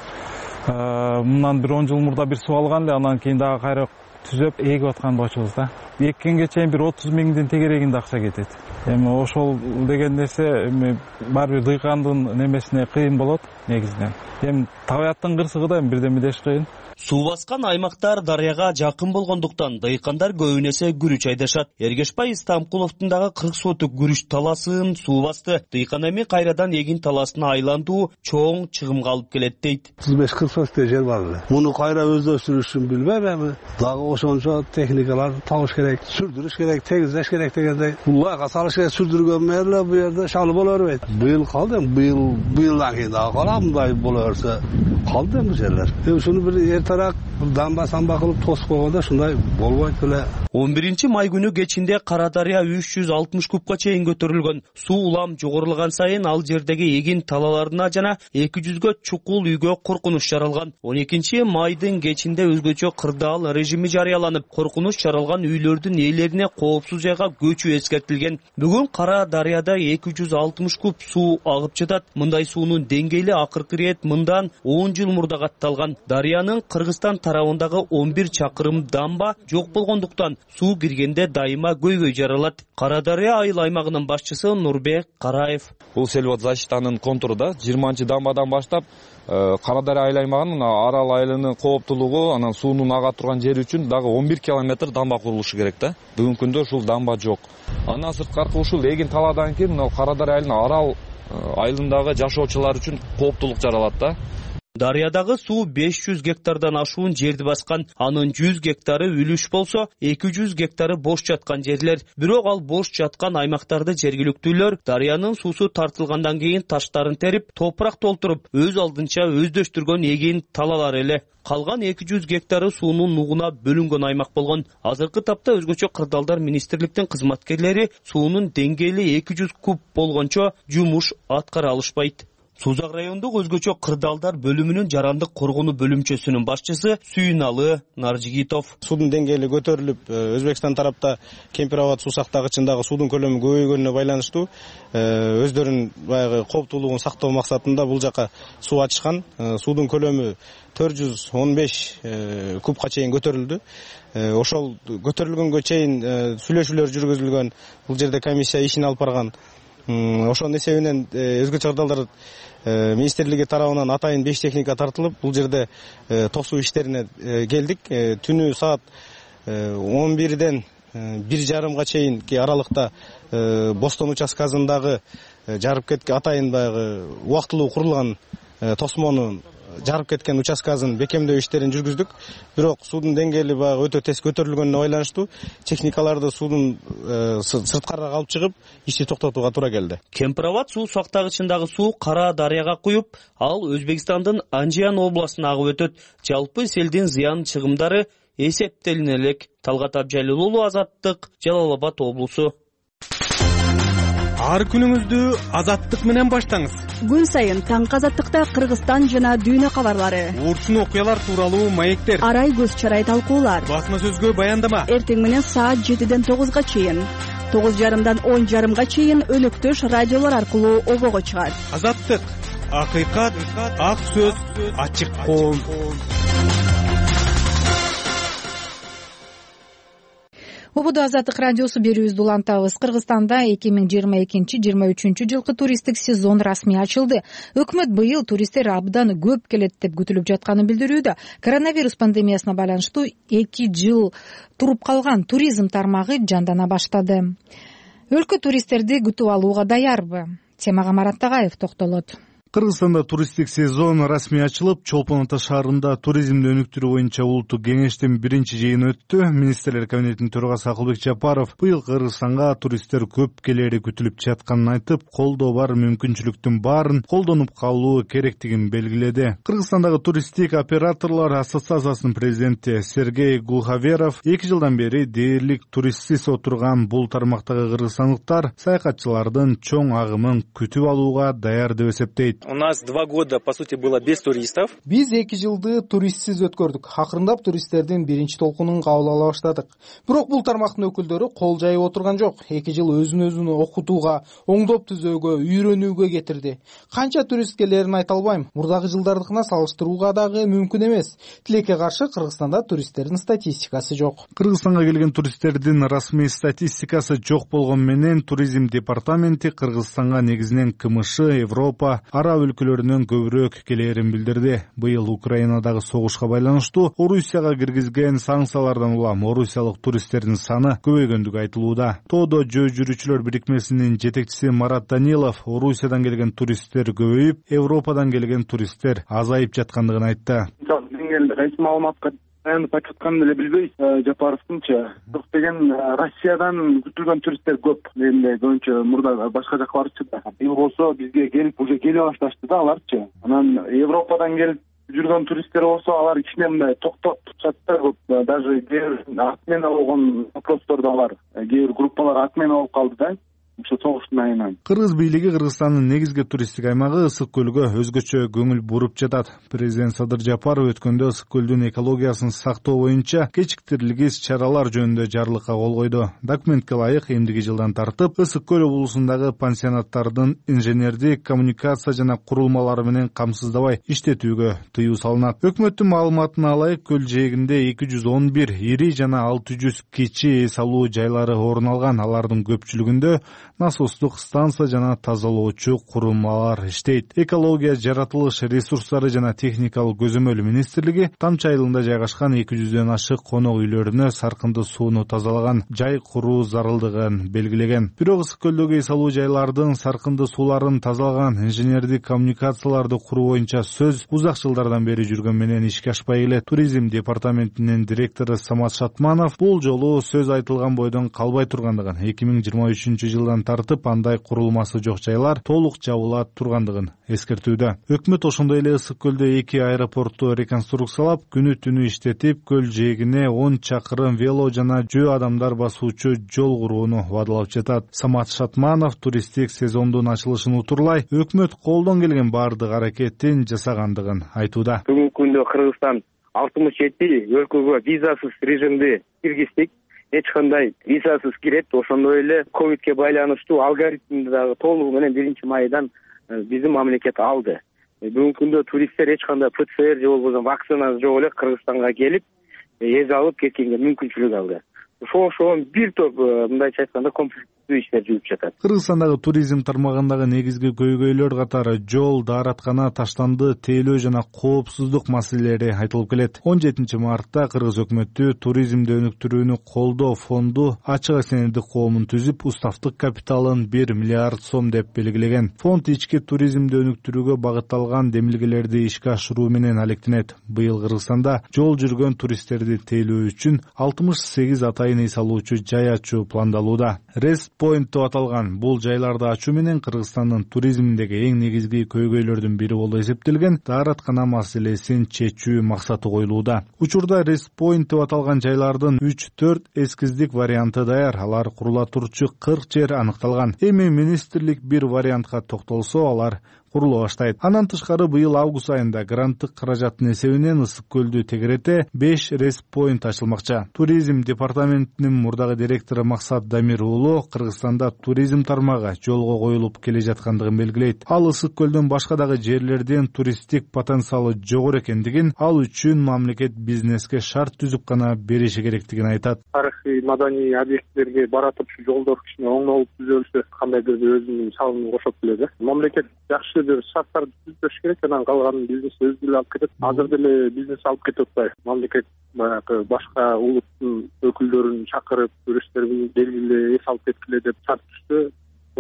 мындан бир он жыл мурда бир суу алган эле, анан кийин дагы кайра түзөп эгип аткан болчубуз да. Эккенге чейин бир отуз миңдин тегерегинде акча кетет. Эми ошол деген нерсе эми баары бир дыйкандын немесине кыйын болот негизинен. Эми табияттын кырсыгы да бирдеме деш кыйын. Суу баскан аймактар дарыяга жакын болгондуктан дыйкандар көбүн эсе күрүч айдашат. Эргешбай Истамкуловдун дагы кырк сотук күрүч талаасын суу басты. Дыйкан эми кайрадан эгин талаасына айлантуу чоң чыгымга алып келет дейт. отуз беш кырк сотуктай жер бар эле. Муну кайра өздөштүрүшүн билбейм эми. Дагы ошончо техникалар табыш керек, сүрдүрүш керек, тегиздеш керек дегендей. Улайга салыш керек, сүрдүргөн мээрле бу жерде шалы боло бербейт. Быйыл калды, быйыл быйылдан кийин дагы калам, мындай боло берсе калды бу жерлер. Эми ушуну бир эртерээк дамба самба кылып тосуп койгондо ушундай болбойт эле. он биринчи май күнү кечинде Кара Дарыя үч жүз алтымыш кубка чейин көтөрүлгөн. Суу улам жогорулаган сайын ал жердеги эгин талааларына жана эки жүзгө чукул үйгө коркунуч жаралган. он экинчи майдын кечинде өзгөчө кырдаал режими жарыяланып, коркунуч жаралган үйлөрдүн ээлерине коопсуз жайга көчүү эскертилген. Бүгүн Кара дарыяда эки жүз алтымыш куб суу агып жатат. Мындай суунун деңгээли акыркы ирет мындан он жыл мурда катталган. Дарыянын Кыргызстан тарабындагы он бир чакырым дамба жок болгондуктан суу киргенде дайыма көйгөй жаралат. Кара дарыя айыл аймагынын башчысы Нурбек Караев. Бул сельхоззащитанын контуру да жыйырманчы дамбадан баштап Кара дарыя айыл аймагынын Арал айылынын кооптулугу, анан суунун ага турган жери үчүн дагы он бир километр дамба курулушу керек да. Бүгүнкү күндө ушул дамба жок. Андан сырткары ушул эгин таладан кийин мына Кара дарыя айылынын Арал айылындагы жашоочулар үчүн кооптулук жаралат да. Дарыядагы суу беш жүз гектардан ашуун жерди баскан. Анын жүз гектары үлүш болсо, эки жүз гектары бош жаткан жерлер. Бирок ал бош жаткан аймактарды жергиликтүүлөр дарыянын суусу тартылгандан кийин таштарын терип, топурак толтуруп, өз алдынча өздөштүргөн эгин талалар эле. Калган эки жүз гектары суунун нугуна бөлүнгөн аймак болгон. Азыркы тапта өзгөчө кырдаалдар министрликтин кызматкерлери суунун деңгээли эки жүз куб болгончо жумуш аткара алышпайт. Сузак райондук өзгөчө кырдаалдар бөлүмүнүн жарандык коргонуу бөлүмчөсүнүн башчысы Сүйүналы Наржигитов. Суудун деңгээли көтөрүлүп, Өзбекстан тарапта Кемпир-Абад суу сактагычындагы суудун көлөмү көбөйгөнүнө байланыштуу өздөрүнүн баягы кооптуулугун сактоо максатында бул жака суу ачышкан. Суудун көлөмү төрт жүз он беш кубка чейин көтөрүлдү. Ошол көтөрүлгөнгө чейин сүйлөшүүлөр жүргүзүлгөн. Бул жерде комиссия ишин алып барган. Ошонун эсебинен өзгөчө кырдаалдар министрлиги тарабынан атайын беш техника тартылып, бул жерде тосуу иштерине келдик. Түнү саат он бирден бир жарымга чейинки аралыкта Бостон участкасындагы жарып кеткен атайын баягы убактылуу курулган тосмонун жарып кеткен участкасын бекемдөө иштерин жүргүздүк. Бирок суудун деңгээли баягы өтө тез көтөрүлгөнүнө байланыштуу техникаларды суудун сырткарак алып чыгып, ишти токтотууга туура келди. Кемпир-Абад суу сактагычындагы суу Кара дарыяга куюп, ал Өзбекстандын Анжиян областына агып өтөт. Жалпы селдин зыян чыгымдары эсептелине элек. Талгат Абжалил уулу, Азаттык, Жалал Абад облусу. Ар күнүңүздү Азаттык менен баштаңыз. Күн сайын таңкы Азаттыкта Кыргызстан жана дүйнө кабарлары, урчун окуялар тууралуу маектер, арай көз чарай талкуулар, басма сөзгө баяндама. Эртең менен саат жетиден тогузга чейин, тогуз жарымдан он жарымга чейин өнөктөш радиолор аркылуу обого чыгат. Азаттык, акыйкат, ак сөз, ачык коом. Ободо Азаттык радиосу берүүбүздү улантабыз. Кыргызстанда эки миң жыйырма экинчи жыйырма үчүнчү жылкы туристтик сезон расмий ачылды. Өкмөт быйыл туристтер абдан көп келет деп күтүлүп жатканын билдирүүдө. Коронавирус пандемиясына байланыштуу эки жыл туруп калган туризм тармагы жандана баштады. Өлкө туристтерди күтүп алууга даярбы? Темага Марат Тагаев токтолот. Кыргызстанда туристтик сезон расмий ачылып, Чолпон Ата шаарында туризмди өнүктүрүү боюнча улуттук кеңештин биринчи жыйыны өттү. Министрлер кабинетинин төрагасы Акылбек Жапаров быйыл Кыргызстанга туристтер көп келери күтүлүп жатканын айтып, колдоо бар мүмкүнчүлүктүн баарын колдонуп калуу керектигин белгиледи. Кыргызстандагы туристтик операторлор ассоциациясынын президенти Сергей Глуховеров эки жылдан бери дээрлик туристсиз отурган бул тармактагы кыргызстандыктар саякатчылардын чоң агымын күтүп алууга даяр деп эсептейт. У нас два года, по сути, было без туристов. Биз эки жылды туристсиз өткөрдүк. Акырындап туристтердин биринчи толкунун кабыл ала баштадык. Бирок бул тармактын өкүлдөрү кол жайып отурган жок. эки жыл өзүн өзүн окутууга, оңдоп түзөөгө, үйрөнүүгө кетирди. Канча турист келерин айта албайм. Мурдагы жылдардыкына салыштырууга дагы мүмкүн эмес. Тилекке каршы Кыргызстанда туристтердин статистикасы жок. Кыргызстанга келген туристтердин расмий статистикасы жок болгон менен туризм департаменти Кыргызстанга негизинен КМШ, Европа, араб өлкөлөрүнөн көбүрөөк келерин билдирди. Быйыл Украинадагы согушка байланыштуу Орусияга киргизген санкциялардан улам орусиялык туристтердин саны көбөйгөндүгү айтылууда. Тоодо жөө жүрүүчүлөр бирикмесинин жетекчиси Марат Данилов Орусиядан келген туристтер көбөйүп, Европадан келген туристтер азайып жаткандыгын айтты. Кайсы маалыматка таянып айтканын эле билбейбиз. Жапаровдунча бирок деген Россиядан күтүлгөн туристтер көп. Эле көбүнчө мурда башка жака барчу да. Бул болсо бизге келип уже келе башташты да аларчы. Анан Европадан келип жүргөн туристтер болсо алар кичине мындай токтоп турушат да көп. Даже кээ бир отмена болгон вопростор да бар. Кээ бир группалар отмена болуп калды да. ошо согуштун айынан. Кыргыз бийлиги Кыргызстандын негизги туристтик аймагы Ысык көлгө өзгөчө көңүл буруп жатат. Президент Садыр Жапаров өткөндө Ысык көлдүн экологиясын сактоо боюнча кечиктирилгис чаралар жөнүндө жарлыкка кол койду. Документке ылайык эмдиги жылдан тартып Ысык көл облусундагы пансионаттардын инженердик, коммуникация жана курулмалары менен камсыздабай иштетүүгө тыюу салынат. Өкмөттүн маалыматына ылайык көл жээгинде эки жүз он бир ири жана алты жүз кичи эс алуу жайлары орун алган. Алардын көпчүлүгүндө насостук станция жана тазалоочу курулмалар иштейт. Экология, жаратылыш ресурстары жана техникалык көзөмөл министрлиги Тамчы айылында жайгашкан эки жүздөн ашык конок үйлөрүнө саркынды сууну тазалаган жай куруу зарылдыгын белгилеген. Бирок Ысык көлдөгү эс алуу жайлардын саркынды сууларын тазалаган инженердик коммуникацияларды куруу боюнча сөз узак жылдардан бери жүргөн менен ишке ашпай келет. Туризм департаментинин директору Самат Шатманов бул жолу сөз айтылган бойдон калбай тургандыгын, эки миң жыйырма үчүнчү жылдан тартып андай курулмасы жок жайлар толук жабыла тургандыгын эскертүүдө. Өкмөт ошондой эле Ысык көлдө эки аэропортту реконструкциялап, күнү түнү иштетип, көл жээгине он чакырым вело жана жөө адамдар басуучу жол курууну убадалап жатат. Самат Шатманов туристтик сезондун ачылышын утурлай, өкмөт колдон келген баардык аракетин жасагандыгын айтууда. Бүгүнкү күндө Кыргызстан алтымыш жети өлкөгө визасыз режимди киргиздик. Эч кандай визасыз кирет. Ошондой эле ковидке байланыштуу алгоритмди дагы толугу менен биринчи майдан биздин мамлекет алды. Бүгүнкү күндө туристтер эч кандай ПЦР же болбосо вакцина жок эле Кыргызстанга келип эз алып кеткенге мүмкүнчүлүк алды. Ошо ошон бир топ мындайча айтканда комплекстүү иштер жүрүп жатат. Кыргызстандагы туризм тармагындагы негизги көйгөйлөр катары жол, даараткана, таштанды тейлөө жана коопсуздук маселелери айтылып келет. он жетинчи мартта Кыргыз өкмөтү туризмди өнүктүрүүнү колдоо фонду ачык акционердик коомун түзүп, уставдык капиталын бир миллиард сом деп белгилеген. Фонд ички туризмди өнүктүрүүгө багытталган демилгелерди ишке ашыруу менен алектенет. Быйыл Кыргызстанда жол жүргөн туристтерди тейлөө үчүн алтымыш сегиз атайын эс алуучу жай ачуу пландалууда. Rest Point деп аталган бул жайларды ачуу менен Кыргызстандын туризминдеги эң негизги көйгөйлөрдүн бири болуп эсептелген даараткана маселесин чечүү максаты коюлууда. Учурда Rest Point деп аталган жайлардын үч төрт эскиздик варианты даяр. Алар курула турчу кырк жер аныкталган. Эми министрлик бир вариантка токтолсо, алар курулуп баштайт. Андан тышкары быйыл август айында гранттык каражаттын эсебинен Ысык көлдү тегерете беш Rest Point ачылмакчы. Туризм департаментинин мурдагы директору Максат Дамир уулу Кыргызстанда туризм тармагы жолго коюлуп келе жаткандыгын белгилейт. Ал Ысык көлдүн башка дагы жерлерден туристтик потенциалы жогору экендигин, ал үчүн мамлекет бизнеске шарт түзүп гана бериши керектигин айтат. Тарыхый, маданий объекттерге бара турчу жолдор кичине оңолуп түзөлсө, кандайдыр бир өзүнүн салымын кошот беле. Мамлекет жакшы бир шарттарды түзүш керек, анан калганын бизнес өзү деле алып кетет. Азыр деле бизнес алып кетип атпайбы? Мамлекет баягы башка улуттун өкүлдөрүн чакырып, туристтерди белгилүү эс алып кеткиле деп шарт түзсө,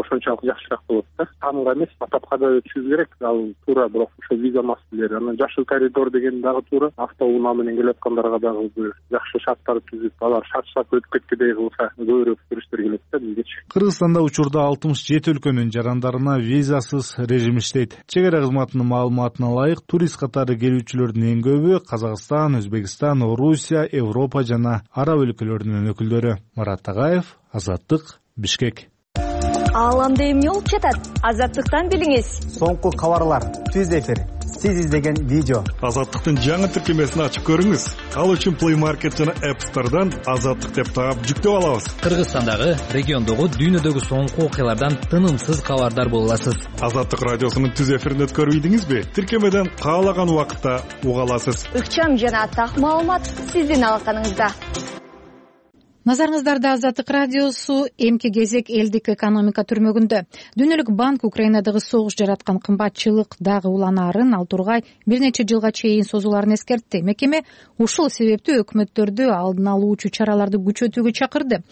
ошончолук жакшыраак болот да. Таанга эмес, атапка да өтүшүбүз керек. Ал туура, бирок ошо виза маселелери. Анан жашыл коридор деген дагы туура. Автоунаа менен келип аткандарга дагы бир жакшы шарттар түзүп, алар шарт-шарт өтүп кеткендей кылса, көбүрөөк туристтер келет да бизгечи. Кыргызстанда учурда алтымыш жети өлкөнүн жарандарына визасыз режим иштейт. Чегара кызматынын маалыматына ылайык, турист катары келүүчүлөрдүн эң көбү Казакстан, Өзбекстан, Орусия, Европа жана араб өлкөлөрүнүн өкүлдөрү. Марат Тагаев, Азаттык, Бишкек. Ааламда эмне болуп жатат? Азаттыктан билиңиз. Соңку кабарлар, түз эфир, сиз издеген видео. Азаттыктын жаңы тиркемесин ачып көрүңүз. Ал үчүн Play Market жана App Store'дан Азаттык деп таап жүктөп алабыз. Кыргызстандагы, региондогу, дүйнөдөгү соңку окуялардан тынымсыз кабардар боло аласыз. Азаттык радиосунун түз эфирин өткөрүп ийдиңизби? Тиркемеден каалаган убакытта уга аласыз. Ыкчам жана так маалымат сиздин алаканыңызда. Назарыңыздарда Азаттык радиосу. Эмки кезек элдик экономика түрмөгүндө. Дүйнөлүк банк Украинадагы согуш жараткан кымбатчылык дагы уланаарын, ал тургай бир нече жылга чейин созулаарын эскертти. Мекеме ушул себептүү өкмөттөрдү алдын алуучу чараларды күчөтүүгө чакырды.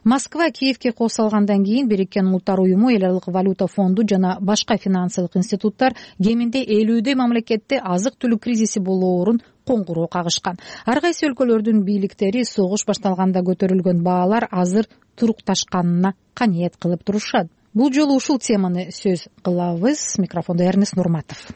Москва Киевке кол салгандан кийин Бириккен Улуттар уюму, Эл аралык валюта фонду жана башка финансылык институттар кеминде элүүдөй мамлекетте азык-түлүк кризиси болоорун коңгуроо кагышкан. Ар кайсы өлкөлөрдүн бийликтери согуш башталганда көтөрүлгөн баалар азыр турукташканына каниет кылып турушат. Бул жолу ушул теманы сөз кылабыз. Микрофондо Эрнест Нурматов.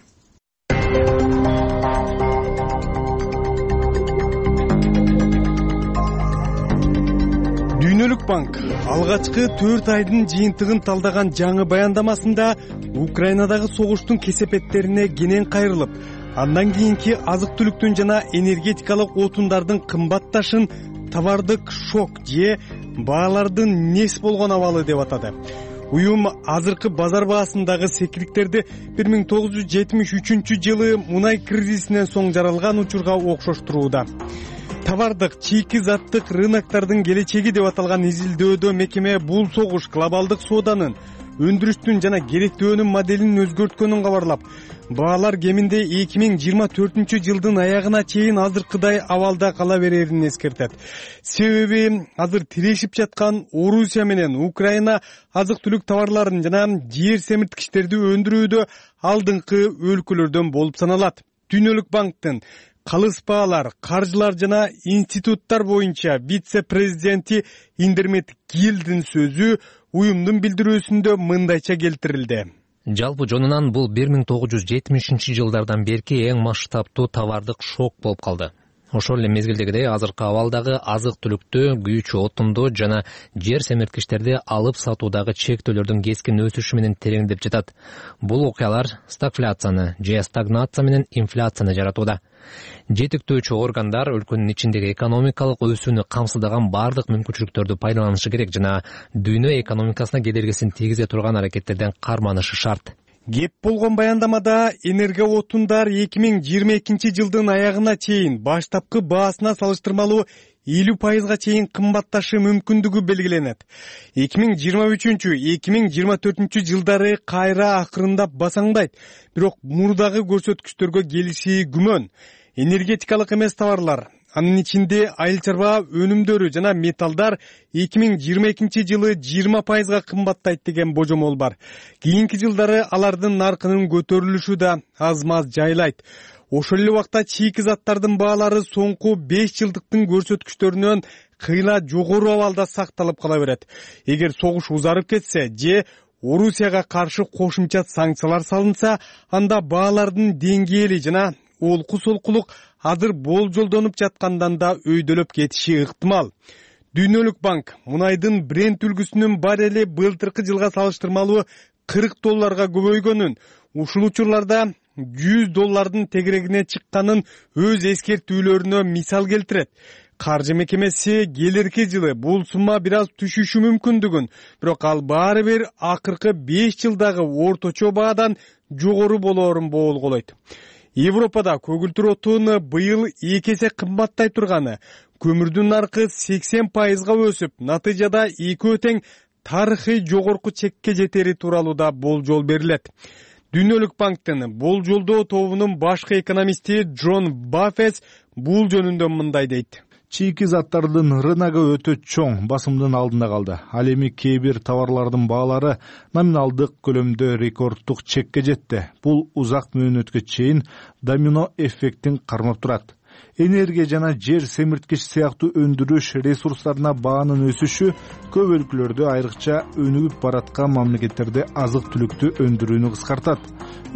Дүйнөлүк банк алгачкы төрт айдын жыйынтыгын талдаган жаңы баяндамасында Украинадагы согуштун кесепеттерине кенен кайрылып, андан кийинки азык-түлүктүн жана энергетикалык отундардын кымбатташын товардык шок же баалардын нес болгон абалы деп атады. Уюм азыркы базар баасындагы секирикттерди бир миң тогуз жүз жетимиш үчүнчү жылы мунай кризисинен соң жаралган учурга окшоштурууда. Товардык чийки заттык рыноктардын келечеги деп аталган изилдөөдө мекеме бул согуш глобалдык сооданын, өндүрүштүн жана керектөөнүн моделин өзгөрткөнүн кабарлап, баалар кеминде эки миң жыйырма төртүнчү жылдын аягына чейин азыркыдай абалда кала берерин эскертет. Себеби азыр тирешип жаткан Орусия менен Украина азык-түлүк товарларын жана жер семирткичтерди өндүрүүдө алдыңкы өлкөлөрдөн болуп саналат. Дүйнөлүк банктын калыс баалар, каржылар жана институттар боюнча вице-президенти Индермет Гилдин сөзү уюмдун билдирүүсүндө мындайча келтирилди. Жалпы жонунан бул бир миң тогуз жүз жетимишинчи жылдардан берки эң масштабтуу товардык шок болуп калды. Ошол эле мезгилдегидей азыркы абалдагы азык-түлүктү, күйүүчү отунду жана жер семирткичтерди алып сатуудагы чектөөлөрдүн кескин өсүшү менен тереңдеп жатат. Бул окуялар стагфляцияны же стагнация менен инфляцияны жаратууда. Жетиктөөчү органдар өлкөнүн ичиндеги экономикалык өсүүнү камсыздаган бардык мүмкүнчүлүктөрдү пайдаланышы керек жана дүйнө экономикасына кедергисин тийгизе турган аракеттерден карманышы шарт. Кеп болгон баяндамада энерго отундар эки миң жыйырма экинчи жылдын аягына чейин баштапкы баасына салыштырмалуу элүү пайызга чейин кымбатташы мүмкүндүгү белгиленет. эки миң жыйырма үчүнчү эки миң жыйырма төртүнчү жылдары кайра акырындап басаңдайт, бирок мурдагы көрсөткүчтөргө келиши күмөн. Энергетикалык эмес товарлар, анын ичинде айыл чарба өнүмдөрү жана металлдар эки миң жыйырма экинчи жылы жыйырма пайызга кымбаттайт деген божомол бар. Кийинки жылдары алардын наркынын көтөрүлүшү да аз-маз жайлайт. Ошол эле убакта чийки заттардын баалары соңку беш жылдыктын көрсөткүчтөрүнөн кыйла жогору абалда сакталып кала берет. Эгер согуш узарып кетсе же Орусияга каршы кошумча санкциялар салынса, анда баалардын деңгээли жана олку-солкулук азыр болжолдонуп жаткандан да өйдөлөп кетиши ыктымал. Дүйнөлүк банк мунайдын Брент үлгүсүнүн баррели былтыркы жылга салыштырмалуу кырк долларга көбөйгөнүн, ушул учурларда жүз доллардын тегерегине чыкканын өз эскертүүлөрүнө мисал келтирет. Каржы мекемеси келерки жылы бул сумма бир аз түшүшү мүмкүндүгүн, бирок ал баары бир акыркы беш жылдагы орточо баадан жогору болоорун боолголойт. Европада көгүлтүр отун быйыл эки эсе кымбаттай турганы, көмүрдүн наркы сексен пайызга өсүп, натыйжада экөө тең тарыхый жогорку чекке жетери тууралуу да болжол берилет. Дүйнөлүк банктын болжолдоо тобунун башкы экономисти Джон Баффес бул жөнүндө мындай дейт. Чийки заттардын рыногу өтө чоң басымдын алдында калды. Ал эми кээ бир товарлардын баалары номиналдык көлөмдө рекордтук чекке жетти. Бул узак мөөнөткө чейин домино эффектин кармап турат. Энергия жана жер семирткич сыяктуу өндүрүш ресурстарына баанын өсүшү көп өлкөлөрдө, айрыкча өнүгүп бараткан мамлекеттерде азык-түлүктү өндүрүүнү кыскартат.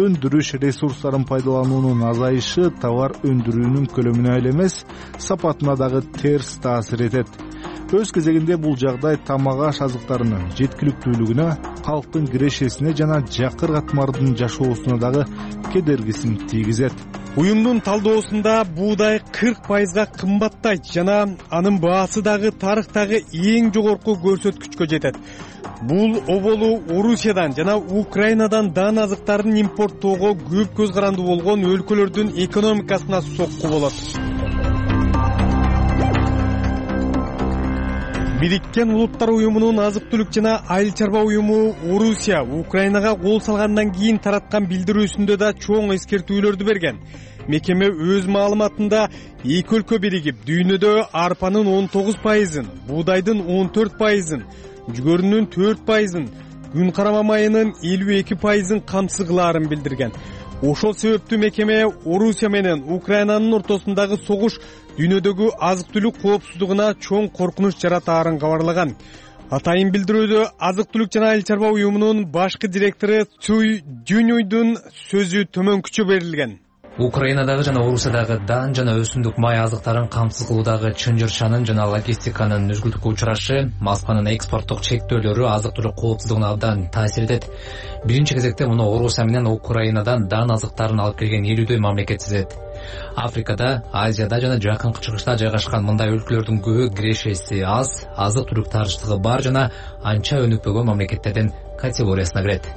Өндүрүш ресурстарын пайдалануунун азайышы товар өндүрүүнүн көлөмүнө эле эмес, сапатына дагы терс таасир этет. Өз кезегинде бул жагдай тамак-аш азыктарынын жеткиликтүүлүгүнө, калктын кирешесине жана жакыр катмардын жашоосуна дагы кедергисин тийгизет. Уюмдун талдоосунда буудай кырк пайызга кымбаттайт жана анын баасы дагы тарыхтагы эң жогорку көрсөткүчкө жетет. Бул оболу Орусиядан жана Украинадан дан азыктарын импорттоого көп көз карандуу болгон өлкөлөрдүн экономикасына сокку болот. Бириккен Улуттар уюмунун азык-түлүк жана айыл чарба уюму Орусия Украинага кол салгандан кийин тараткан билдирүүсүндө да чоң эскертүүлөрдү берген. Мекеме өз маалыматында эки өлкө биригип, дүйнөдө арпанын он тогуз пайызын, буудайдын он төрт пайызын, жүгөрүнүн төрт пайызын, күн карама майынын элүү эки пайызын камсызгылаарын билдирген. Ошол себептүү мекеме Орусия менен Украинанын ортосундагы согуш дүйнөдөгү азык-түлүк коопсуздугуна чоң коркунуч жаратаарын кабарлаган. Атайын билдирүүдө азык-түлүк жана айыл чарба уюмунун башкы директору Цуй Дюнюйдун сөзү төмөнкүчө берилген. Украинадагы жана Орусиядагы дан жана өсүмдүк май азыктарын камсыз кылуудагы чынжырчанын жана логистиканын үзгүлтүккө учурашы Москванын экспорттук чектөөлөрү азык-түлүк коопсуздугуна абдан таасир этет. Биринчи кезекте муну Орусия менен Украинадан дан азыктарын алып келген элүүдөй мамлекет сезет. Африкада, Азияда жана жакынкы чыгышта жайгашкан мындай өлкөлөрдүн көбү кирешеси аз, азык-түлүк таарычтыгы бар жана анча өнүкпөгөн мамлекеттердин категориясына кирет.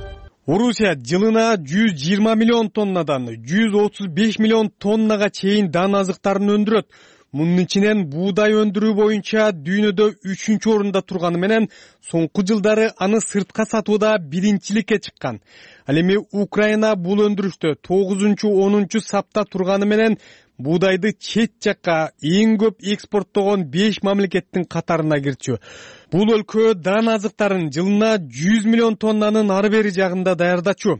Орусия жылына жүз жыйырма миллион тоннадан жүз отуз беш миллион тоннага чейин дан азыктарын өндүрөт. Мунун ичинен буудай өндүрүү боюнча дүйнөдө үчүнчү орунда турганы менен соңку жылдары аны сыртка сатууда биринчиликке чыккан. Ал эми Украина бул өндүрүштө тогузунчу онунчу сапта турганы менен буудайды чет жакка эң көп экспорттогон беш мамлекеттин катарына кирчү. Бул өлкө дан азыктарын жылына жүз миллион тоннанын ары бери жагында даярдачу.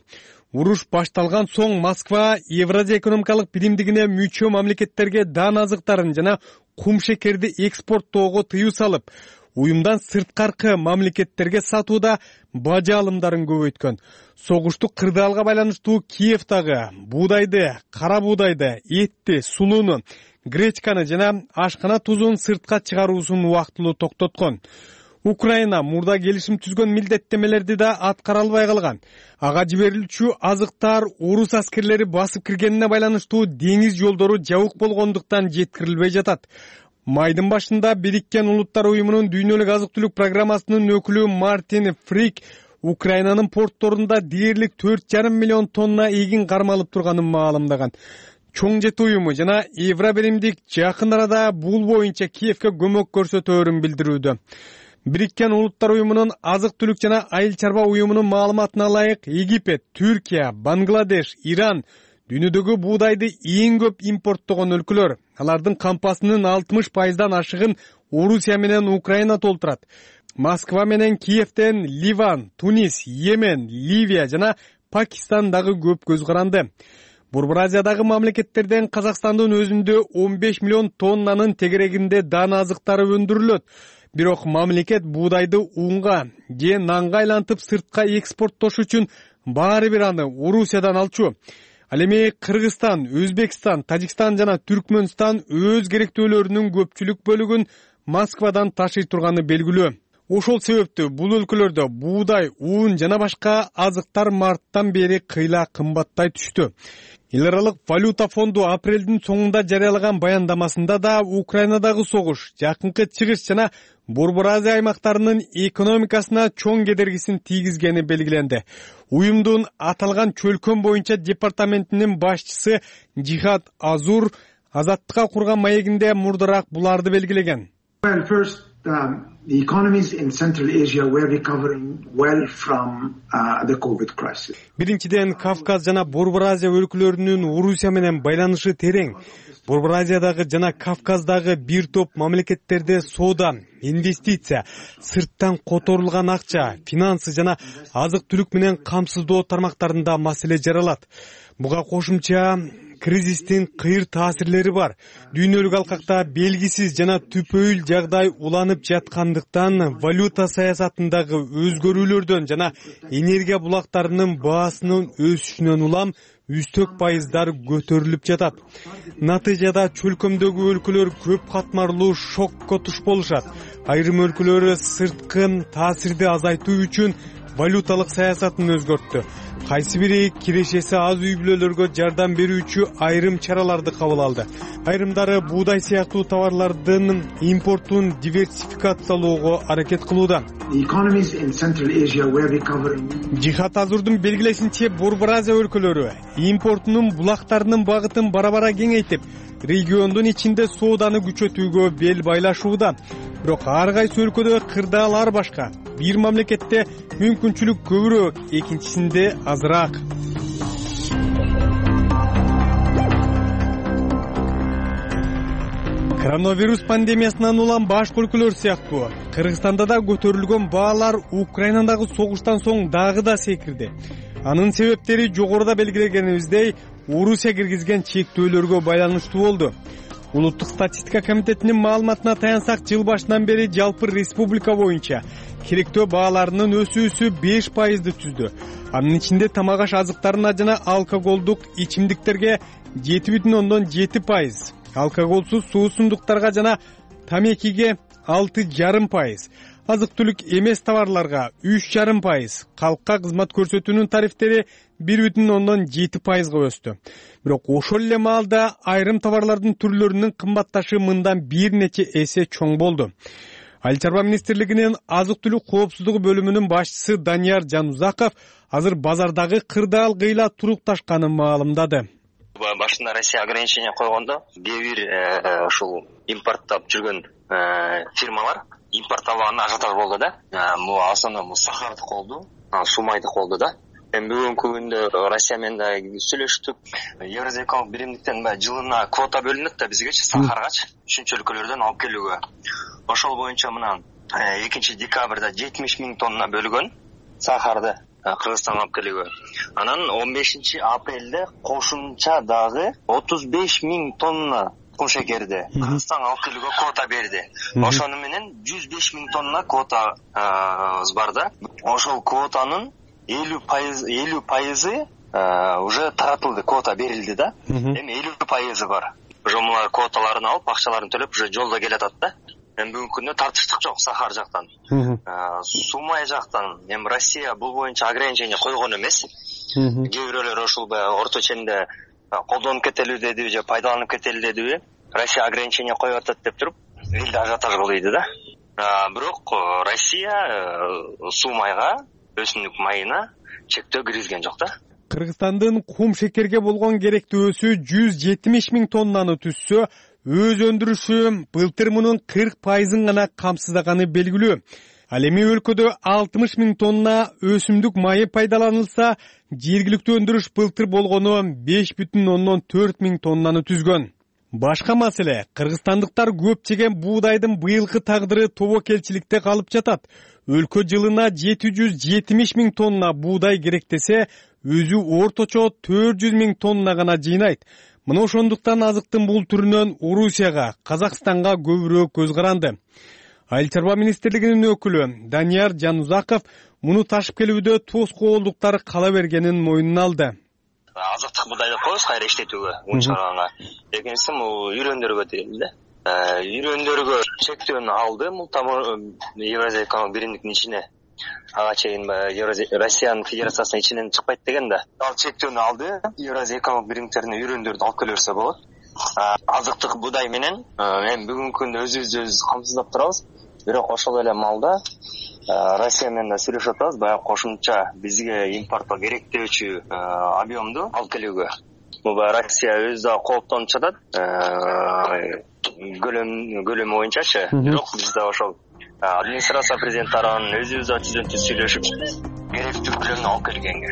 Уруш башталган соң Москва Евразия экономикалык биримдигине мүчө мамлекеттерге дан азыктарын жана кум шекерди экспорттоого тыюу салып, уюмдан сырткаркы мамлекеттерге сатууда бажа алымдарын көбөйткөн. Согуштук кырдаалга байланыштуу Киевдагы буудайды, кара буудайды, этти, сулууну, гречканы жана ашкана тузун сыртка чыгаруусун убактылуу токтоткон. Украина мурда келишим түзгөн милдеттемелерди да аткара албай калган. Ага жиберилчү азыктар орус аскерлери басып киргенине байланыштуу деңиз жолдору жабык болгондуктан жеткирилбей жатат. Майдын башында Бириккен Улуттар уюмунун дүйнөлүк азык-түлүк программасынын өкүлү Мартин Фрик Украинанын портторунда дээрлик төрт жарым миллион тонна эгин кармалып турганын маалымдаган. Чоң жети уюму жана Евробиримдик жакын арада бул боюнча Киевке көмөк көрсөтөөрүн билдирүүдө. Бириккен Улуттар уюмунун азык-түлүк жана айыл чарба уюмунун маалыматына ылайык Египет, Түркия, Бангладеш, Иран дүйнөдөгү буудайды эң көп импорттогон өлкөлөр. Алардын кампасынын алтымыш пайыздан ашыгын Орусия менен Украина толтурат. Москва менен Киевден Ливан, Тунис, Йемен, Ливия жана Пакистан дагы көп көз каранды. Борбор Азиядагы мамлекеттерден Казакстандын өзүндө он беш миллион тоннанын тегерегинде дан азыктары өндүрүлөт. Бирок мамлекет буудайды унга же нанга айлантып сыртка экспорттош үчүн баары бир аны Орусиядан алчу. Ал эми Кыргызстан, Өзбекстан, Тажикстан жана Түркмөнстан өз керектөөлөрүнүн көпчүлүк бөлүгүн Москвадан ташый турганы белгилүү. Ошол себептүү бул өлкөлөрдө буудай, ун жана башка азыктар марттан бери кыйла кымбаттай түштү. Эл аралык валюта фонду апрелдин соңунда жарыялаган баяндамасында да Украинадагы согуш, жакынкы чыгыш жана Борбор Азия аймактарынын экономикасына чоң кедергисин тийгизгени белгиленди. Уюмдун аталган чөлкөн боюнча департаментинин башчысы Жихад Азур азаттыкка курган маегинде мурдараак буларды белгилеген. Well, first, um, the economies in Central Asia were recovering well from uh, the COVID crisis. Биринчиден, Кавказ жана Борбор Азия өлкөлөрүнүн Орусия менен байланышы терең. Борбор Азиядагы жана Кавказдагы бир топ мамлекеттерде соода, инвестиция, сырттан которулган акча, финансы жана азык-түлүк менен камсыздоо тармактарында маселе жаралат. Буга кошумча кризистин кыйыр таасирлери бар. Дүйнөлүк алкакта белгисиз жана түпөйүл жагдай уланып жаткандыктан валюта саясатындагы өзгөрүүлөрдөн жана энергия булактарынын баасынын өсүшүнөн улам үстөк пайыздар көтөрүлүп жатат. Натыйжада чөлкөмдөгү өлкөлөр көп катмарлуу шокко туш болушат. Айрым өлкөлөр сырткы таасирди азайтуу үчүн валюталык саясатын өзгөрттү. Кайсы бири кирешеси аз үй бүлөлөргө жардам берүүчү айрым чараларды кабыл алды. Айрымдары буудай сыяктуу товарлардын импортун диверсификациялоого аракет кылууда. Жихад Азурдун белгилешинче, Борбор Азия өлкөлөрү импортунун булактарынын багытын бара-бара кеңейтип, региондун ичинде сооданы күчөтүүгө бел байлашууда. Бирок ар кайсы өлкөдө кырдаалар башка. Бир мамлекетте мүмкүнчүлүк көбүрөөк, экинчисинде азыраак. Коронавирус пандемиясынан улам башка өлкөлөр сыяктуу Кыргызстанда да көтөрүлгөн баалар Украинадагы согуштан соң дагы да секирди. Анын себептери жогоруда белгилегенибиздей Орусия киргизген чектөөлөргө байланыштуу болду. Улуттук статистика комитетинин маалыматына таянсак, жыл башынан бери жалпы республика боюнча керектөө бааларынын өсүүсү беш пайызды түздү. анын ичинде тамак аш азыктарына жана алкоголдук ичимдиктерге жети бүтүн ондон жети пайыз, алкоголсуз суусундуктарга жана тамекиге алты жарым пайыз, азык-түлүк эмес товарларга үч жарым пайыз, калкка кызмат көрсөтүүнүн тарифтери бир бүтүн ондон жети пайызга өстү. Бирок ошол эле маалда айрым товарлардын түрлөрүнүн кымбатташы мындан бир нече эсе чоң болду. Айыл чарба министрлигинин азык-түлүк коопсуздугу бөлүмүнүн башчысы Данияр Жанузаков азыр базардагы кырдаал кыйла турукташканын маалымдады. Башында Россия ограничение койгондо кээ бир ушул импорттоп жүргөн фирмалар импортталганда ажиотаж болду да. Бул основном сахардык болду, сумайдык болду да. Эми бүгүнкү күндө Россия менен да сүйлөштүк. Евразия экономик биримдиктен жылына квота бөлүнөт да бизгечи сахаргачы үшүнчү өлкөлөрдөн алып келүүгө. Ошол боюнча мына экинчи декабрда жетимиш миң тонна бөлгөн сахарды Кыргызстанга алып келүүгө. Анан он бешинчи апрелде кошумча дагы отуз беш миң тонна кум шекерди Кыргызстанга алып келүүгө квота берди. Ошону менен жүз беш миң тонна квотабыз бар да. Ошол квотанын элүү пайызы уже таратылды, квота берилди да. Эми элүү пайызы бар. Уже мына квоталарын алып, акчаларын төлөп уже жолдо келатат да. Эми бүгүнкү күндө тартыштык жок сахар жактан. Сумай жактан эми Россия бул боюнча ограничение койгон эмес. Кээ бирөөлөр ушул орто ченде колдонуп кетели деди же пайдаланып кетели деди. Россия ограничение коюп атат деп туруп, элде ажиотаж болуйду да. Бирок Россия сумайга, өсүмдүк майына чектөө киргизген жок да. Кыргызстандын кум шекерге болгон керектөөсү жүз жетимиш миң тоннаны түзсө, өз өндүрүшү былтыр мунун кырк пайызын гана камсыздаганы белгилүү. Ал эми өлкөдө алтымыш миң тонна өсүмдүк майы пайдаланылса, жергиликтүү өндүрүш былтыр болгону беш бүтүн ондон төрт миң тоннаны түзгөн. Башка маселе, кыргызстандыктар көп жеген буудайдын быйылкы тагдыры тобокелчиликте калып жатат. Өлкө жылына жети жүз жетимиш миң тонна буудай керектесе, өзү орточо төрт жүз миң тонна гана жыйнайт. Мына ошондуктан азыктын бул түрүнөн Орусияга, Казакстанга көбүрөөк көз каранды. Айыл чарба министрлигинин өкүлү Данияр Жанузаков муну ташып келүүдө тоскоолдуктар кала бергенин мойнуна алды. Азыктык буудайды коебуз кайра иштетүүгө, ун чыгарганга. Экинчиси бул үйрөндөргө дейли да. Үйрөндөргө чектөөнү алды, бул Евразия экономик биримдиктин ичине. Ага чейин Россиянын Федерациясынын ичинен чыкпайт деген да. Ал чектөөнү алды. Евразия экономик биримдиктерине үйрөндөрдү алып келе берсе болот. Азыктык буудай менен эми бүгүнкү күндө өзүбүздү өзүбүз камсыздап турабыз. Бирок ошол эле маалда Россия менен да сүйлөшүп атабыз, баягы кошумча бизге импортко керектөөчү объемду алып келүүгө. Бул Россия өзү да кооптонуп жатат. Көлөм көлөмү боюнчачы. Бирок биз да ошол администрация президент тарабынан өзүбүз да түзөнтү сүйлөшүп керектүү көлөмдү алып келгенге.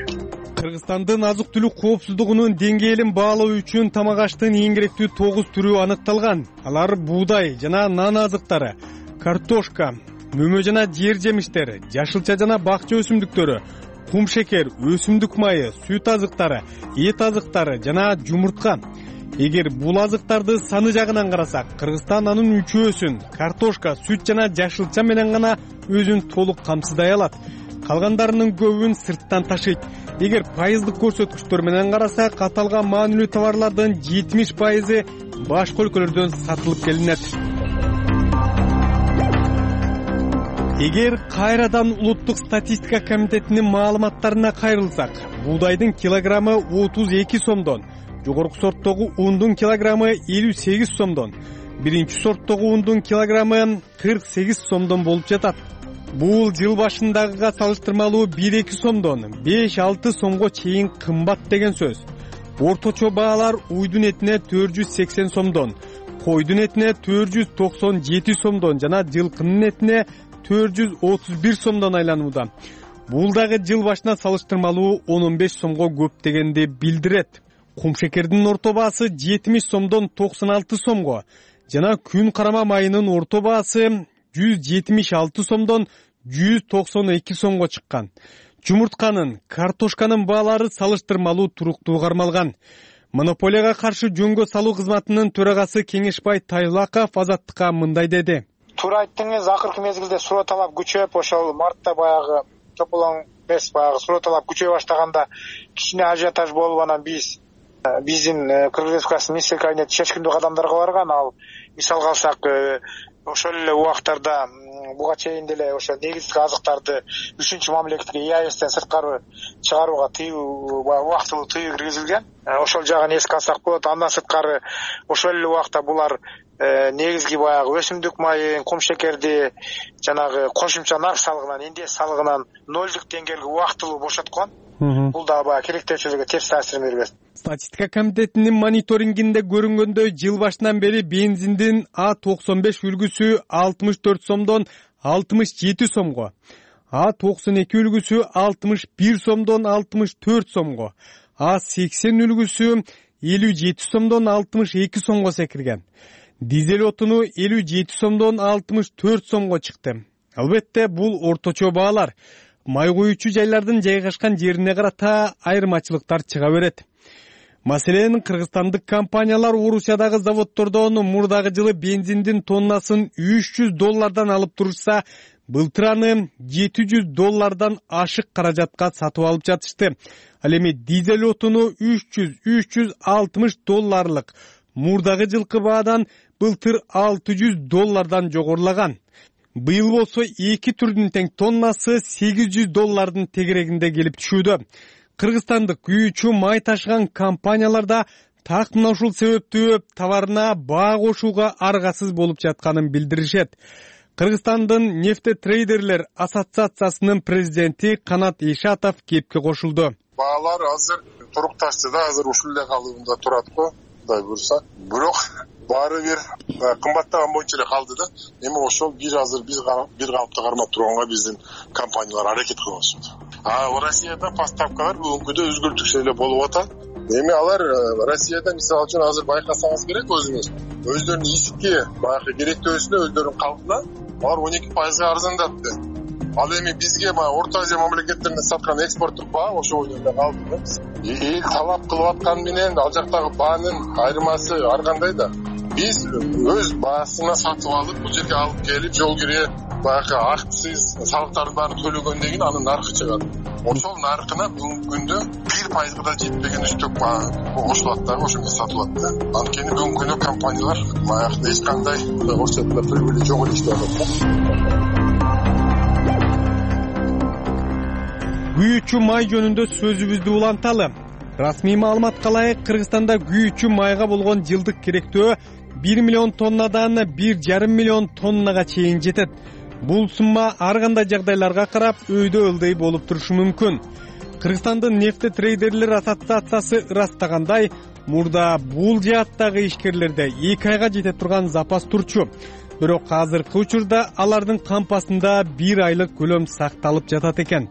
Кыргызстандын азык-түлүк коопсуздугунун деңгээлин баалоо үчүн тамак аштын эң керектүү тогуз түрү аныкталган. Алар буудай жана нан азыктары, картошка, мөмө жана жер жемиштери, жашылча жана бакча өсүмдүктөрү, кум шекер, өсүмдүк майы, сүт азыктары, эт азыктары жана жумуртка. Эгер бул азыктарды саны жагынан карасак, Кыргызстан анын үчөөсүн картошка, сүт жана жашылча менен гана өзүн толук камсыздай алат. Калгандарынын көбүн сырттан ташыйт. Эгер пайыздык көрсөткүчтөр менен карасак, аталган маанилүү товарлардын жетимиш пайызы башка өлкөлөрдөн сатылып келинет. Эгер кайрадан улуттук статистика комитетинин маалыматтарына кайрылсак, буудайдын килограммы отуз эки сомдон, жогорку сорттогу ундун килограммы элүү сегиз сомдон, биринчи сорттогу ундун килограммы кырк сегиз сомдон болуп жатат. Бул жыл башындагыга салыштырмалуу бир эки сомдон беш алты сомго чейин кымбат деген сөз. Орточо баалар уйдун этине төрт жүз сексен сомдон, койдун этине төрт жүз токсон жети сомдон жана жылкынын этине төрт жүз отуз бир сомдон айланууда. Бул дагы жыл башына салыштырмалуу он он беш сомго көп дегенди билдирет. Кум шекердин орто баасы жетимиш сомдон токсон алты сомго жана күн карама майынын орто баасы жүз жетимиш алты сомдон жүз токсон эки сомго чыккан. Жумуртканын, картошканын баалары салыштырмалуу туруктуу кармалган. Монополияга каршы жөнгө салуу кызматынын төрагасы Кеңешбай Тайлаков Азаттыкка мындай деди. Туура айттыңыз, акыркы мезгилде суроо талап күчөп, ошол мартта баягы чополоң эмес, баягы суроо талап күчөй баштаганда кичине ажиотаж болуп, анан биз биздин Кыргыз Республикасынын министрлер кабинети чечкиндүү кадамдарга барган. Ал мисалга алсак, ошол эле убактарда буга чейин деле ошо негизги азыктарды үчүнчү мамлекетке и а эстен сырткары чыгарууга тыюу убактылуу тыюу киргизилген. Ошол жагын эске алсак болот. Андан сырткары ошол эле убакта булар негизги баягы өсүмдүк майын, кум шекерди жанагы кошумча нарк салыгынан, индекс салыгынан нолдук деңгээлге убактылуу бошоткон. Бул да баягы керектөөчүлөргө терс таасирин бербес. Статистика комитетинин мониторингинде көрүнгөндөй, жыл башынан бери бензиндин А токсон беш үлгүсү алтымыш төрт сомдон алтымыш жети сомго, А токсон эки үлгүсү алтымыш бир сомдон алтымыш төрт сомго, А сексен үлгүсү элүү жети сомдон алтымыш эки сомго секирген. Дизель отуну элүү жети сомдон алтымыш төрт сомго чыкты. Албетте, бул орточо баалар. Май куючу жайлардын жайгашкан жерине карата айырмачылыктар чыга берет. Маселен, кыргызстандык компаниялар Орусиядагы заводдордон мурдагы жылы бензиндин тоннасын үч жүз доллардан алып турушса, былтыр аны жети жүз доллардан ашык каражатка сатып алып жатышты. Ал эми дизель отуну үч жүз үч жүз алтымыш долларлык мурдагы жылкы баадан былтыр алты жүз доллардан жогорулаган. Быйыл болсо эки түрдүн тең тоннасы сегиз жүз доллардын тегерегинде келип түшүүдө. Кыргызстандык күйүүчү май ташыган компанияларда так мына ушул себептүү товарына баа кошууга аргасыз болуп жатканын билдиришет. Кыргызстандын нефтетрейдерлер ассоциациясынын президенти Канат Ишатов кепке кошулду. Баалар азыр турукташты да, азыр ушул эле калыбында турат го, Кудай буйрса. Бирок баары бир кымбаттаган боюнча эле калды да. Эми ошол бир азыр биз бир калыпты кармап турганга биздин компаниялар аракет кылып атышат. А Россияда поставкалар бүгүнкүдө өзгөртүксүз эле болуп атат. Эми алар Россияда мисалы үчүн азыр байкасаңыз керек өзүңүз, өздөрүнүн ички баягы керектөөсүнө, өздөрүнүн калыбына алар он эки пайызга арзандатты. Ал эми бизге баягы Орто Азия мамлекеттерине саткан экспорттук баа ошол эле калды да. Эл талап кылып аткан менен ал жактагы баанын айырмасы ар кандай да. Биз өз баасына сатып алып, бул жерге алып келип, жол кирээ баягы акциз, салыктарды баарын төлөгөндөн кийин анын наркы чыгат. Ошол наркына бүгүнкү күндө бир пайызга да жетпеген үстөк баа кошулат да, ошондо сатылат да. Анткени бүгүнкү күндө компаниялар баягы эч кандай орусча тилинде прибыли жок эле иштеп атат. Күйүүчү май жөнүндө сөзүбүздү уланталы. Расмий маалыматка ылайык, Кыргызстанда күйүүчү майга болгон жылдык керектөө бир миллион тоннадан бир жарым миллион тоннага чейин жетет. Бул сумма ар кандай жагдайларга карап өйдө ылдый болуп турушу мүмкүн. Кыргызстандын нефтетрейдерлер ассоциациясы ырастагандай, мурда бул жааттагы ишкерлерде эки айга жете турган запас турчу. Бирок азыркы учурда алардын кампасында бир айлык көлөм сакталып жатат экен.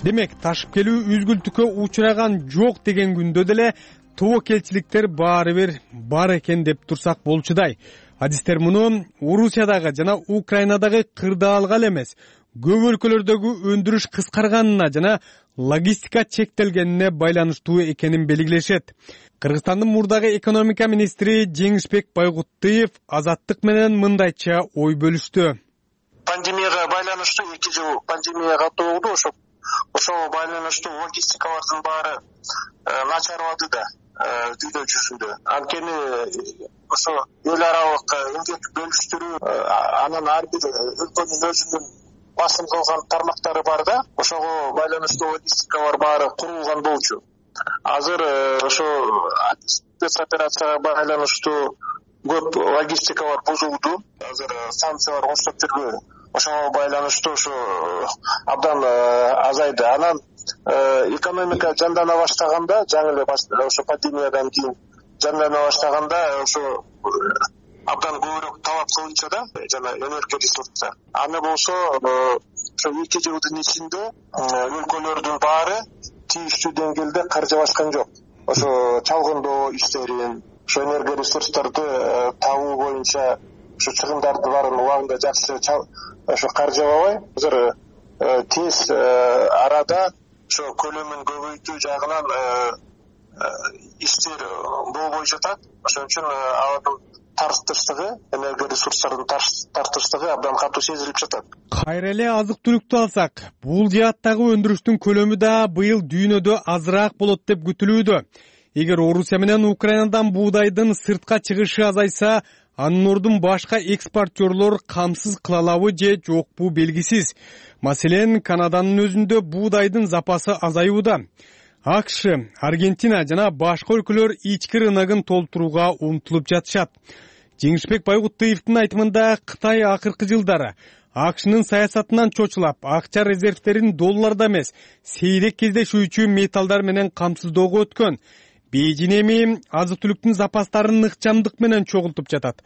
Демек, ташып келүү үзгүлтүккө учураган жок деген күндө деле тобокелчиликтер баары бир бар экен деп турсак болчудай. Адистер муну Орусиядагы жана Украинадагы кырдаалга эле эмес, көп өлкөлөрдөгү өндүрүш кыскарганына жана логистика чектелгенине байланыштуу экенин белгилешет. Кыргызстандын мурдагы экономика министри Жеңишбек Байгуттыев Азаттык менен мындайча ой бөлүштү. Пандемияга байланыштуу эки жыл пандемия каттуу болду, ошо ошого байланыштуу логистикалардын баары начарлады да дүйнө жүзүндө. Анткени ошо эл аралык эмгек бөлүштүрүү, анан ар бир өлкөнүн өзүнүн басым кылган тармактары бар да, ошого байланыштуу логистикалар баары курулган болчу. Азыр ошо спецоперацияга байланыштуу көп логистикалар бузулду. Азыр санкциялар коштоп жүрбү. Ошого байланыштуу ошо абдан азайды. Анан экономика жандана баштаганда, жаңы эле ошо пандемиядан кийин жандана баштаганда ошо абдан көбүрөөк талап кылынча да, жана энергия ресурстар. Аны болсо ошо эки жылдын ичинде өлкөлөрдүн баары тийиштүү деңгээлде каржыбашкан жок. Ошо чалгындоо иштерин, ошо энергия ресурстарды табуу боюнча ошо чыгымдарды баарын убагында жакшы ошо каржыбабай, азыр тез арада ошо көлөмүн көбөйтүү жагынан иштер болбой жатат. Ошон үчүн алардын тартыштыгы, энергия ресурстарынын тартыштыгы абдан катуу сезилип жатат. Кайра эле азык түлүктү алсак, бул жааттагы өндүрүштүн көлөмү да быйыл дүйнөдө азыраак болот деп күтүлүүдө. Эгер Орусия менен Украинадан буудайдын сыртка чыгышы азайса, анын ордун башка экспортерлор камсыз кыла алабы же жокпу белгисиз. Маселен, Канаданын өзүндө буудайдын запасы азаюуда. АКШ, Аргентина жана башка өлкөлөр ички рыногун толтурууга умтулуп жатышат. Жеңишбек Байгуттыевдин айтымында, Кытай акыркы жылдары АКШнын саясатынан чочулап, акча резервтерин долларда эмес, сейрек кездешүүчү металлдар менен камсыздоого өткөн. Бейжин эми азык-түлүктүн запастарын ыкчамдык менен чогултуп жатат.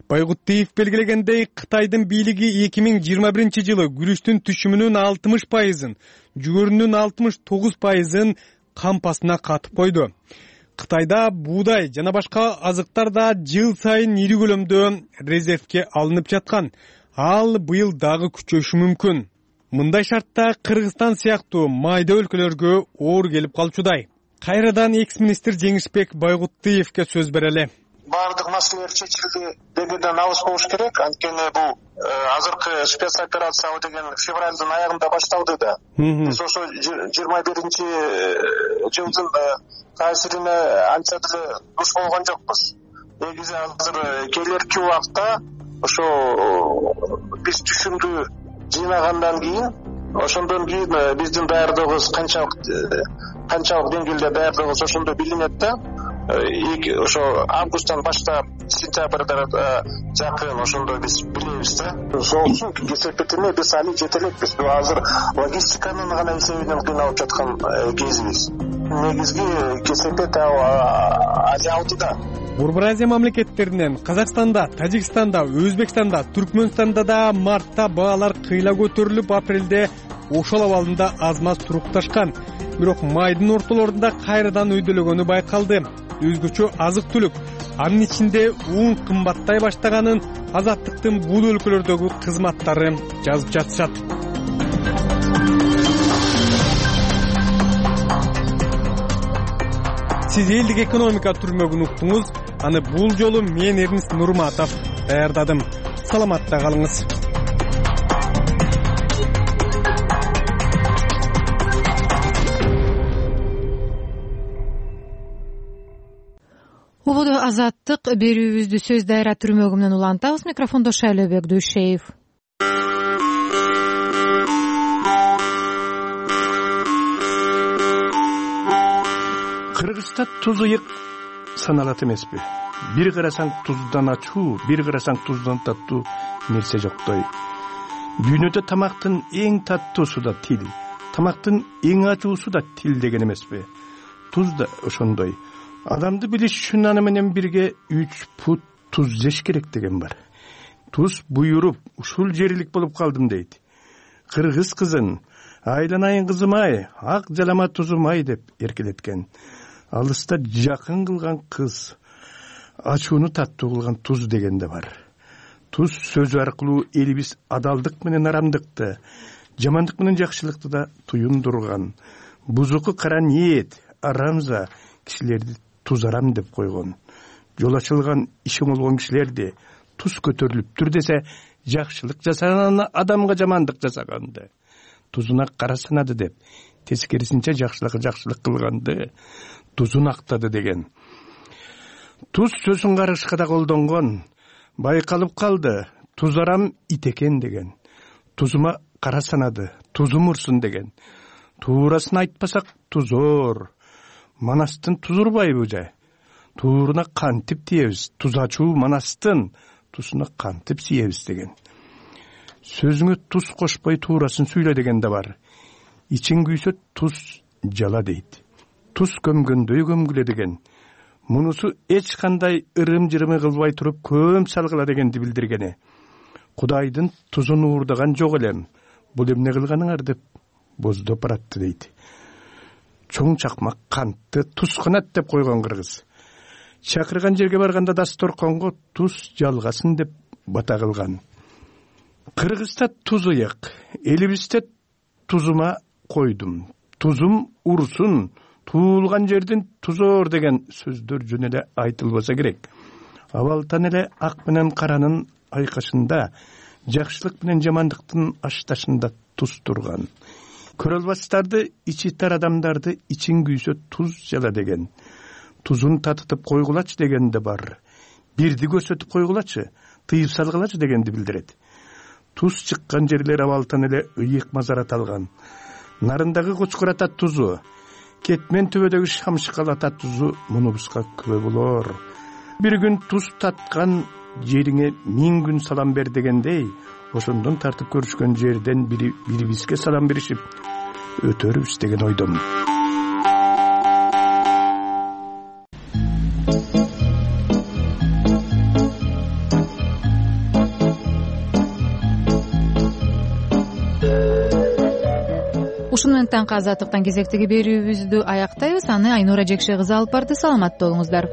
Байгуттыев белгилегендей, Кытайдын бийлиги эки миң жыйырма биринчи жылы күрүчтүн түшүмүнүн алтымыш пайызын, жүгөрүнүн алтымыш тогуз пайызын кампасына катып койду. Кытайда буудай жана башка азыктар да жыл сайын ири көлөмдө резервке алынып жаткан. Ал быйыл дагы күчөшү мүмкүн. Мындай шартта Кыргызстан сыяктуу майда өлкөлөргө оор келип калчудай. Кайрадан экс-министр Жеңишбек Байгуттыевке сөз берели. Бардык маселелер чечилди дегенден алыс болуш керек. Анткени бул азыркы спецоперация деген февралдын аягында башталды да. Биз ошо жыйырма биринчи жылдын таасирине анча деле душ болгон жокпуз. Негизи азыр келерки убакта ошо биз түшүмдү жыйнагандан кийин, ошондон кийин биздин даярдыгыбыз канчалык канчалык деңгээлде даярдыгыбыз ошондо билинет да. Ошо августтан баштап сентябрда жакын ошондо биз билебиз да. Ошол үчүн кесепетине биз али жете элекпиз. Азыр логистиканын гана эсебинен кыйналып жаткан кезибиз. Негизги кесепет али алдыда. Борбор Азия мамлекеттеринен Казакстанда, Тажикстанда, Өзбекстанда, Түркмөнстанда да мартта баалар кыйла көтөрүлүп, апрелде ошол абалында аз-маз турукташкан. Бирок майдын ортолорунда кайрадан өйдөлөгөнү байкалды. Өзгөчө азык-түлүк, анын ичинде ун кымбаттай баштаганын Азаттыктын бул өлкөлөрдөгү кызматтары жазып жатышат. Сиз элдик экономика түрмөгүн уктуңуз. Аны бул жолу мен Эрнис Нурматов даярдадым. Саламатта калыңыз. Убуду азаттык берүүбүздү сөз дайра түрмөгү менен улантабыз. Микрофондо Шайлообек Дүйшеев. Кыргызста туз ыйык саналат эмеспи? Бир карасаң туздан ачуу, бир карасаң туздан таттуу нерсе жоктой. Дүйнөдө тамактын эң таттуусу да тил, тамактын эң ачуусу да тил деген эмеспи? Туз да ошондой. Адамды билиш үчүн аны менен бирге үч пут туз жеш керек деген бар. Туз буйруп, ушул жерилик болуп калдым дейт. Кыргыз кызын, айланайын кызым-ай, ак жалама тузум-ай деп эркелеткен. Алыста жакын кылган кыз, ачууну таттуу кылган туз деген да бар. Туз сөзү аркылуу элибиз адалдык менен арамдыкты, жамандык менен жакшылыкты да туюндурган. Бузуку кара ниет, арамза кишилерди туз арам деп койгон. Жол ачылган, иши болгон кишилерди туз көтөрүлүптүр десе, жакшылык жасаган адамга жамандык жасаганды тузуна кара санады деп, тескерисинче жакшылыкка жакшылык кылганды тузун актады деген. Туз сөзүн карышка да колдонгон. Байкалып калды, туз арам ит экен деген. Тузума кара санады, тузум урсун деген. Туурасын айтпасак тузор. Манастын туз урбайбы же? Тууруна кантип тиебиз? Туз ачуу манастын тузуна кантип сиебиз деген. Сөзүңө туз кошпой туурасын сүйлө деген да бар. Ичиң күйсө туз жала дейт. Туз көмгөндөй көмгүлө деген. Мунусу эч кандай ырым-жырымы кылбай туруп көм салгыла дегенди билдиргени. Кудайдын тузун уурдаган жок элем. Бул эмне кылганыңар деп боздоп баратты дейт. Чоң чакмак кантты туз канат деп койгон кыргыз. Чакырган жерге барганда дасторконго туз жалгасын деп бата кылган. Кыргызда туз ыйык, элибизде тузума койдум, тузум урсун, туулган жердин тузор деген сөздөр жөн эле айтылбаса керек. абалтан эле ак менен каранын айкашында, жакшылык менен жамандыктын ашташында туз турган. Көрө албастарды, ичи тар адамдарды ичиң күйсө туз жала деген. Тузун татытып койгулачы деген да бар. Бирди көрсөтүп койгулачы, тыйып салгылачы дегенди билдирет. Туз чыккан жерлер абалтан эле ыйык мазарат алган. Нарындагы кочкор ата тузу, кетмен төбөдөгү шамшыкал ата тузу мунубузга күбө болор. Бир күн туз таткан жериңе миң күн салам бер дегендей, ошондон тартып көрүшкөн жерден бири бирибизге салам беришип өтөрүбүз деген ойдомун. Ушуну менен таңкы азаттыктан кезектеги берүүбүздү аяктайбыз. Аны Айнура Жекше кызы алып барды. Саламатта болуңуздар.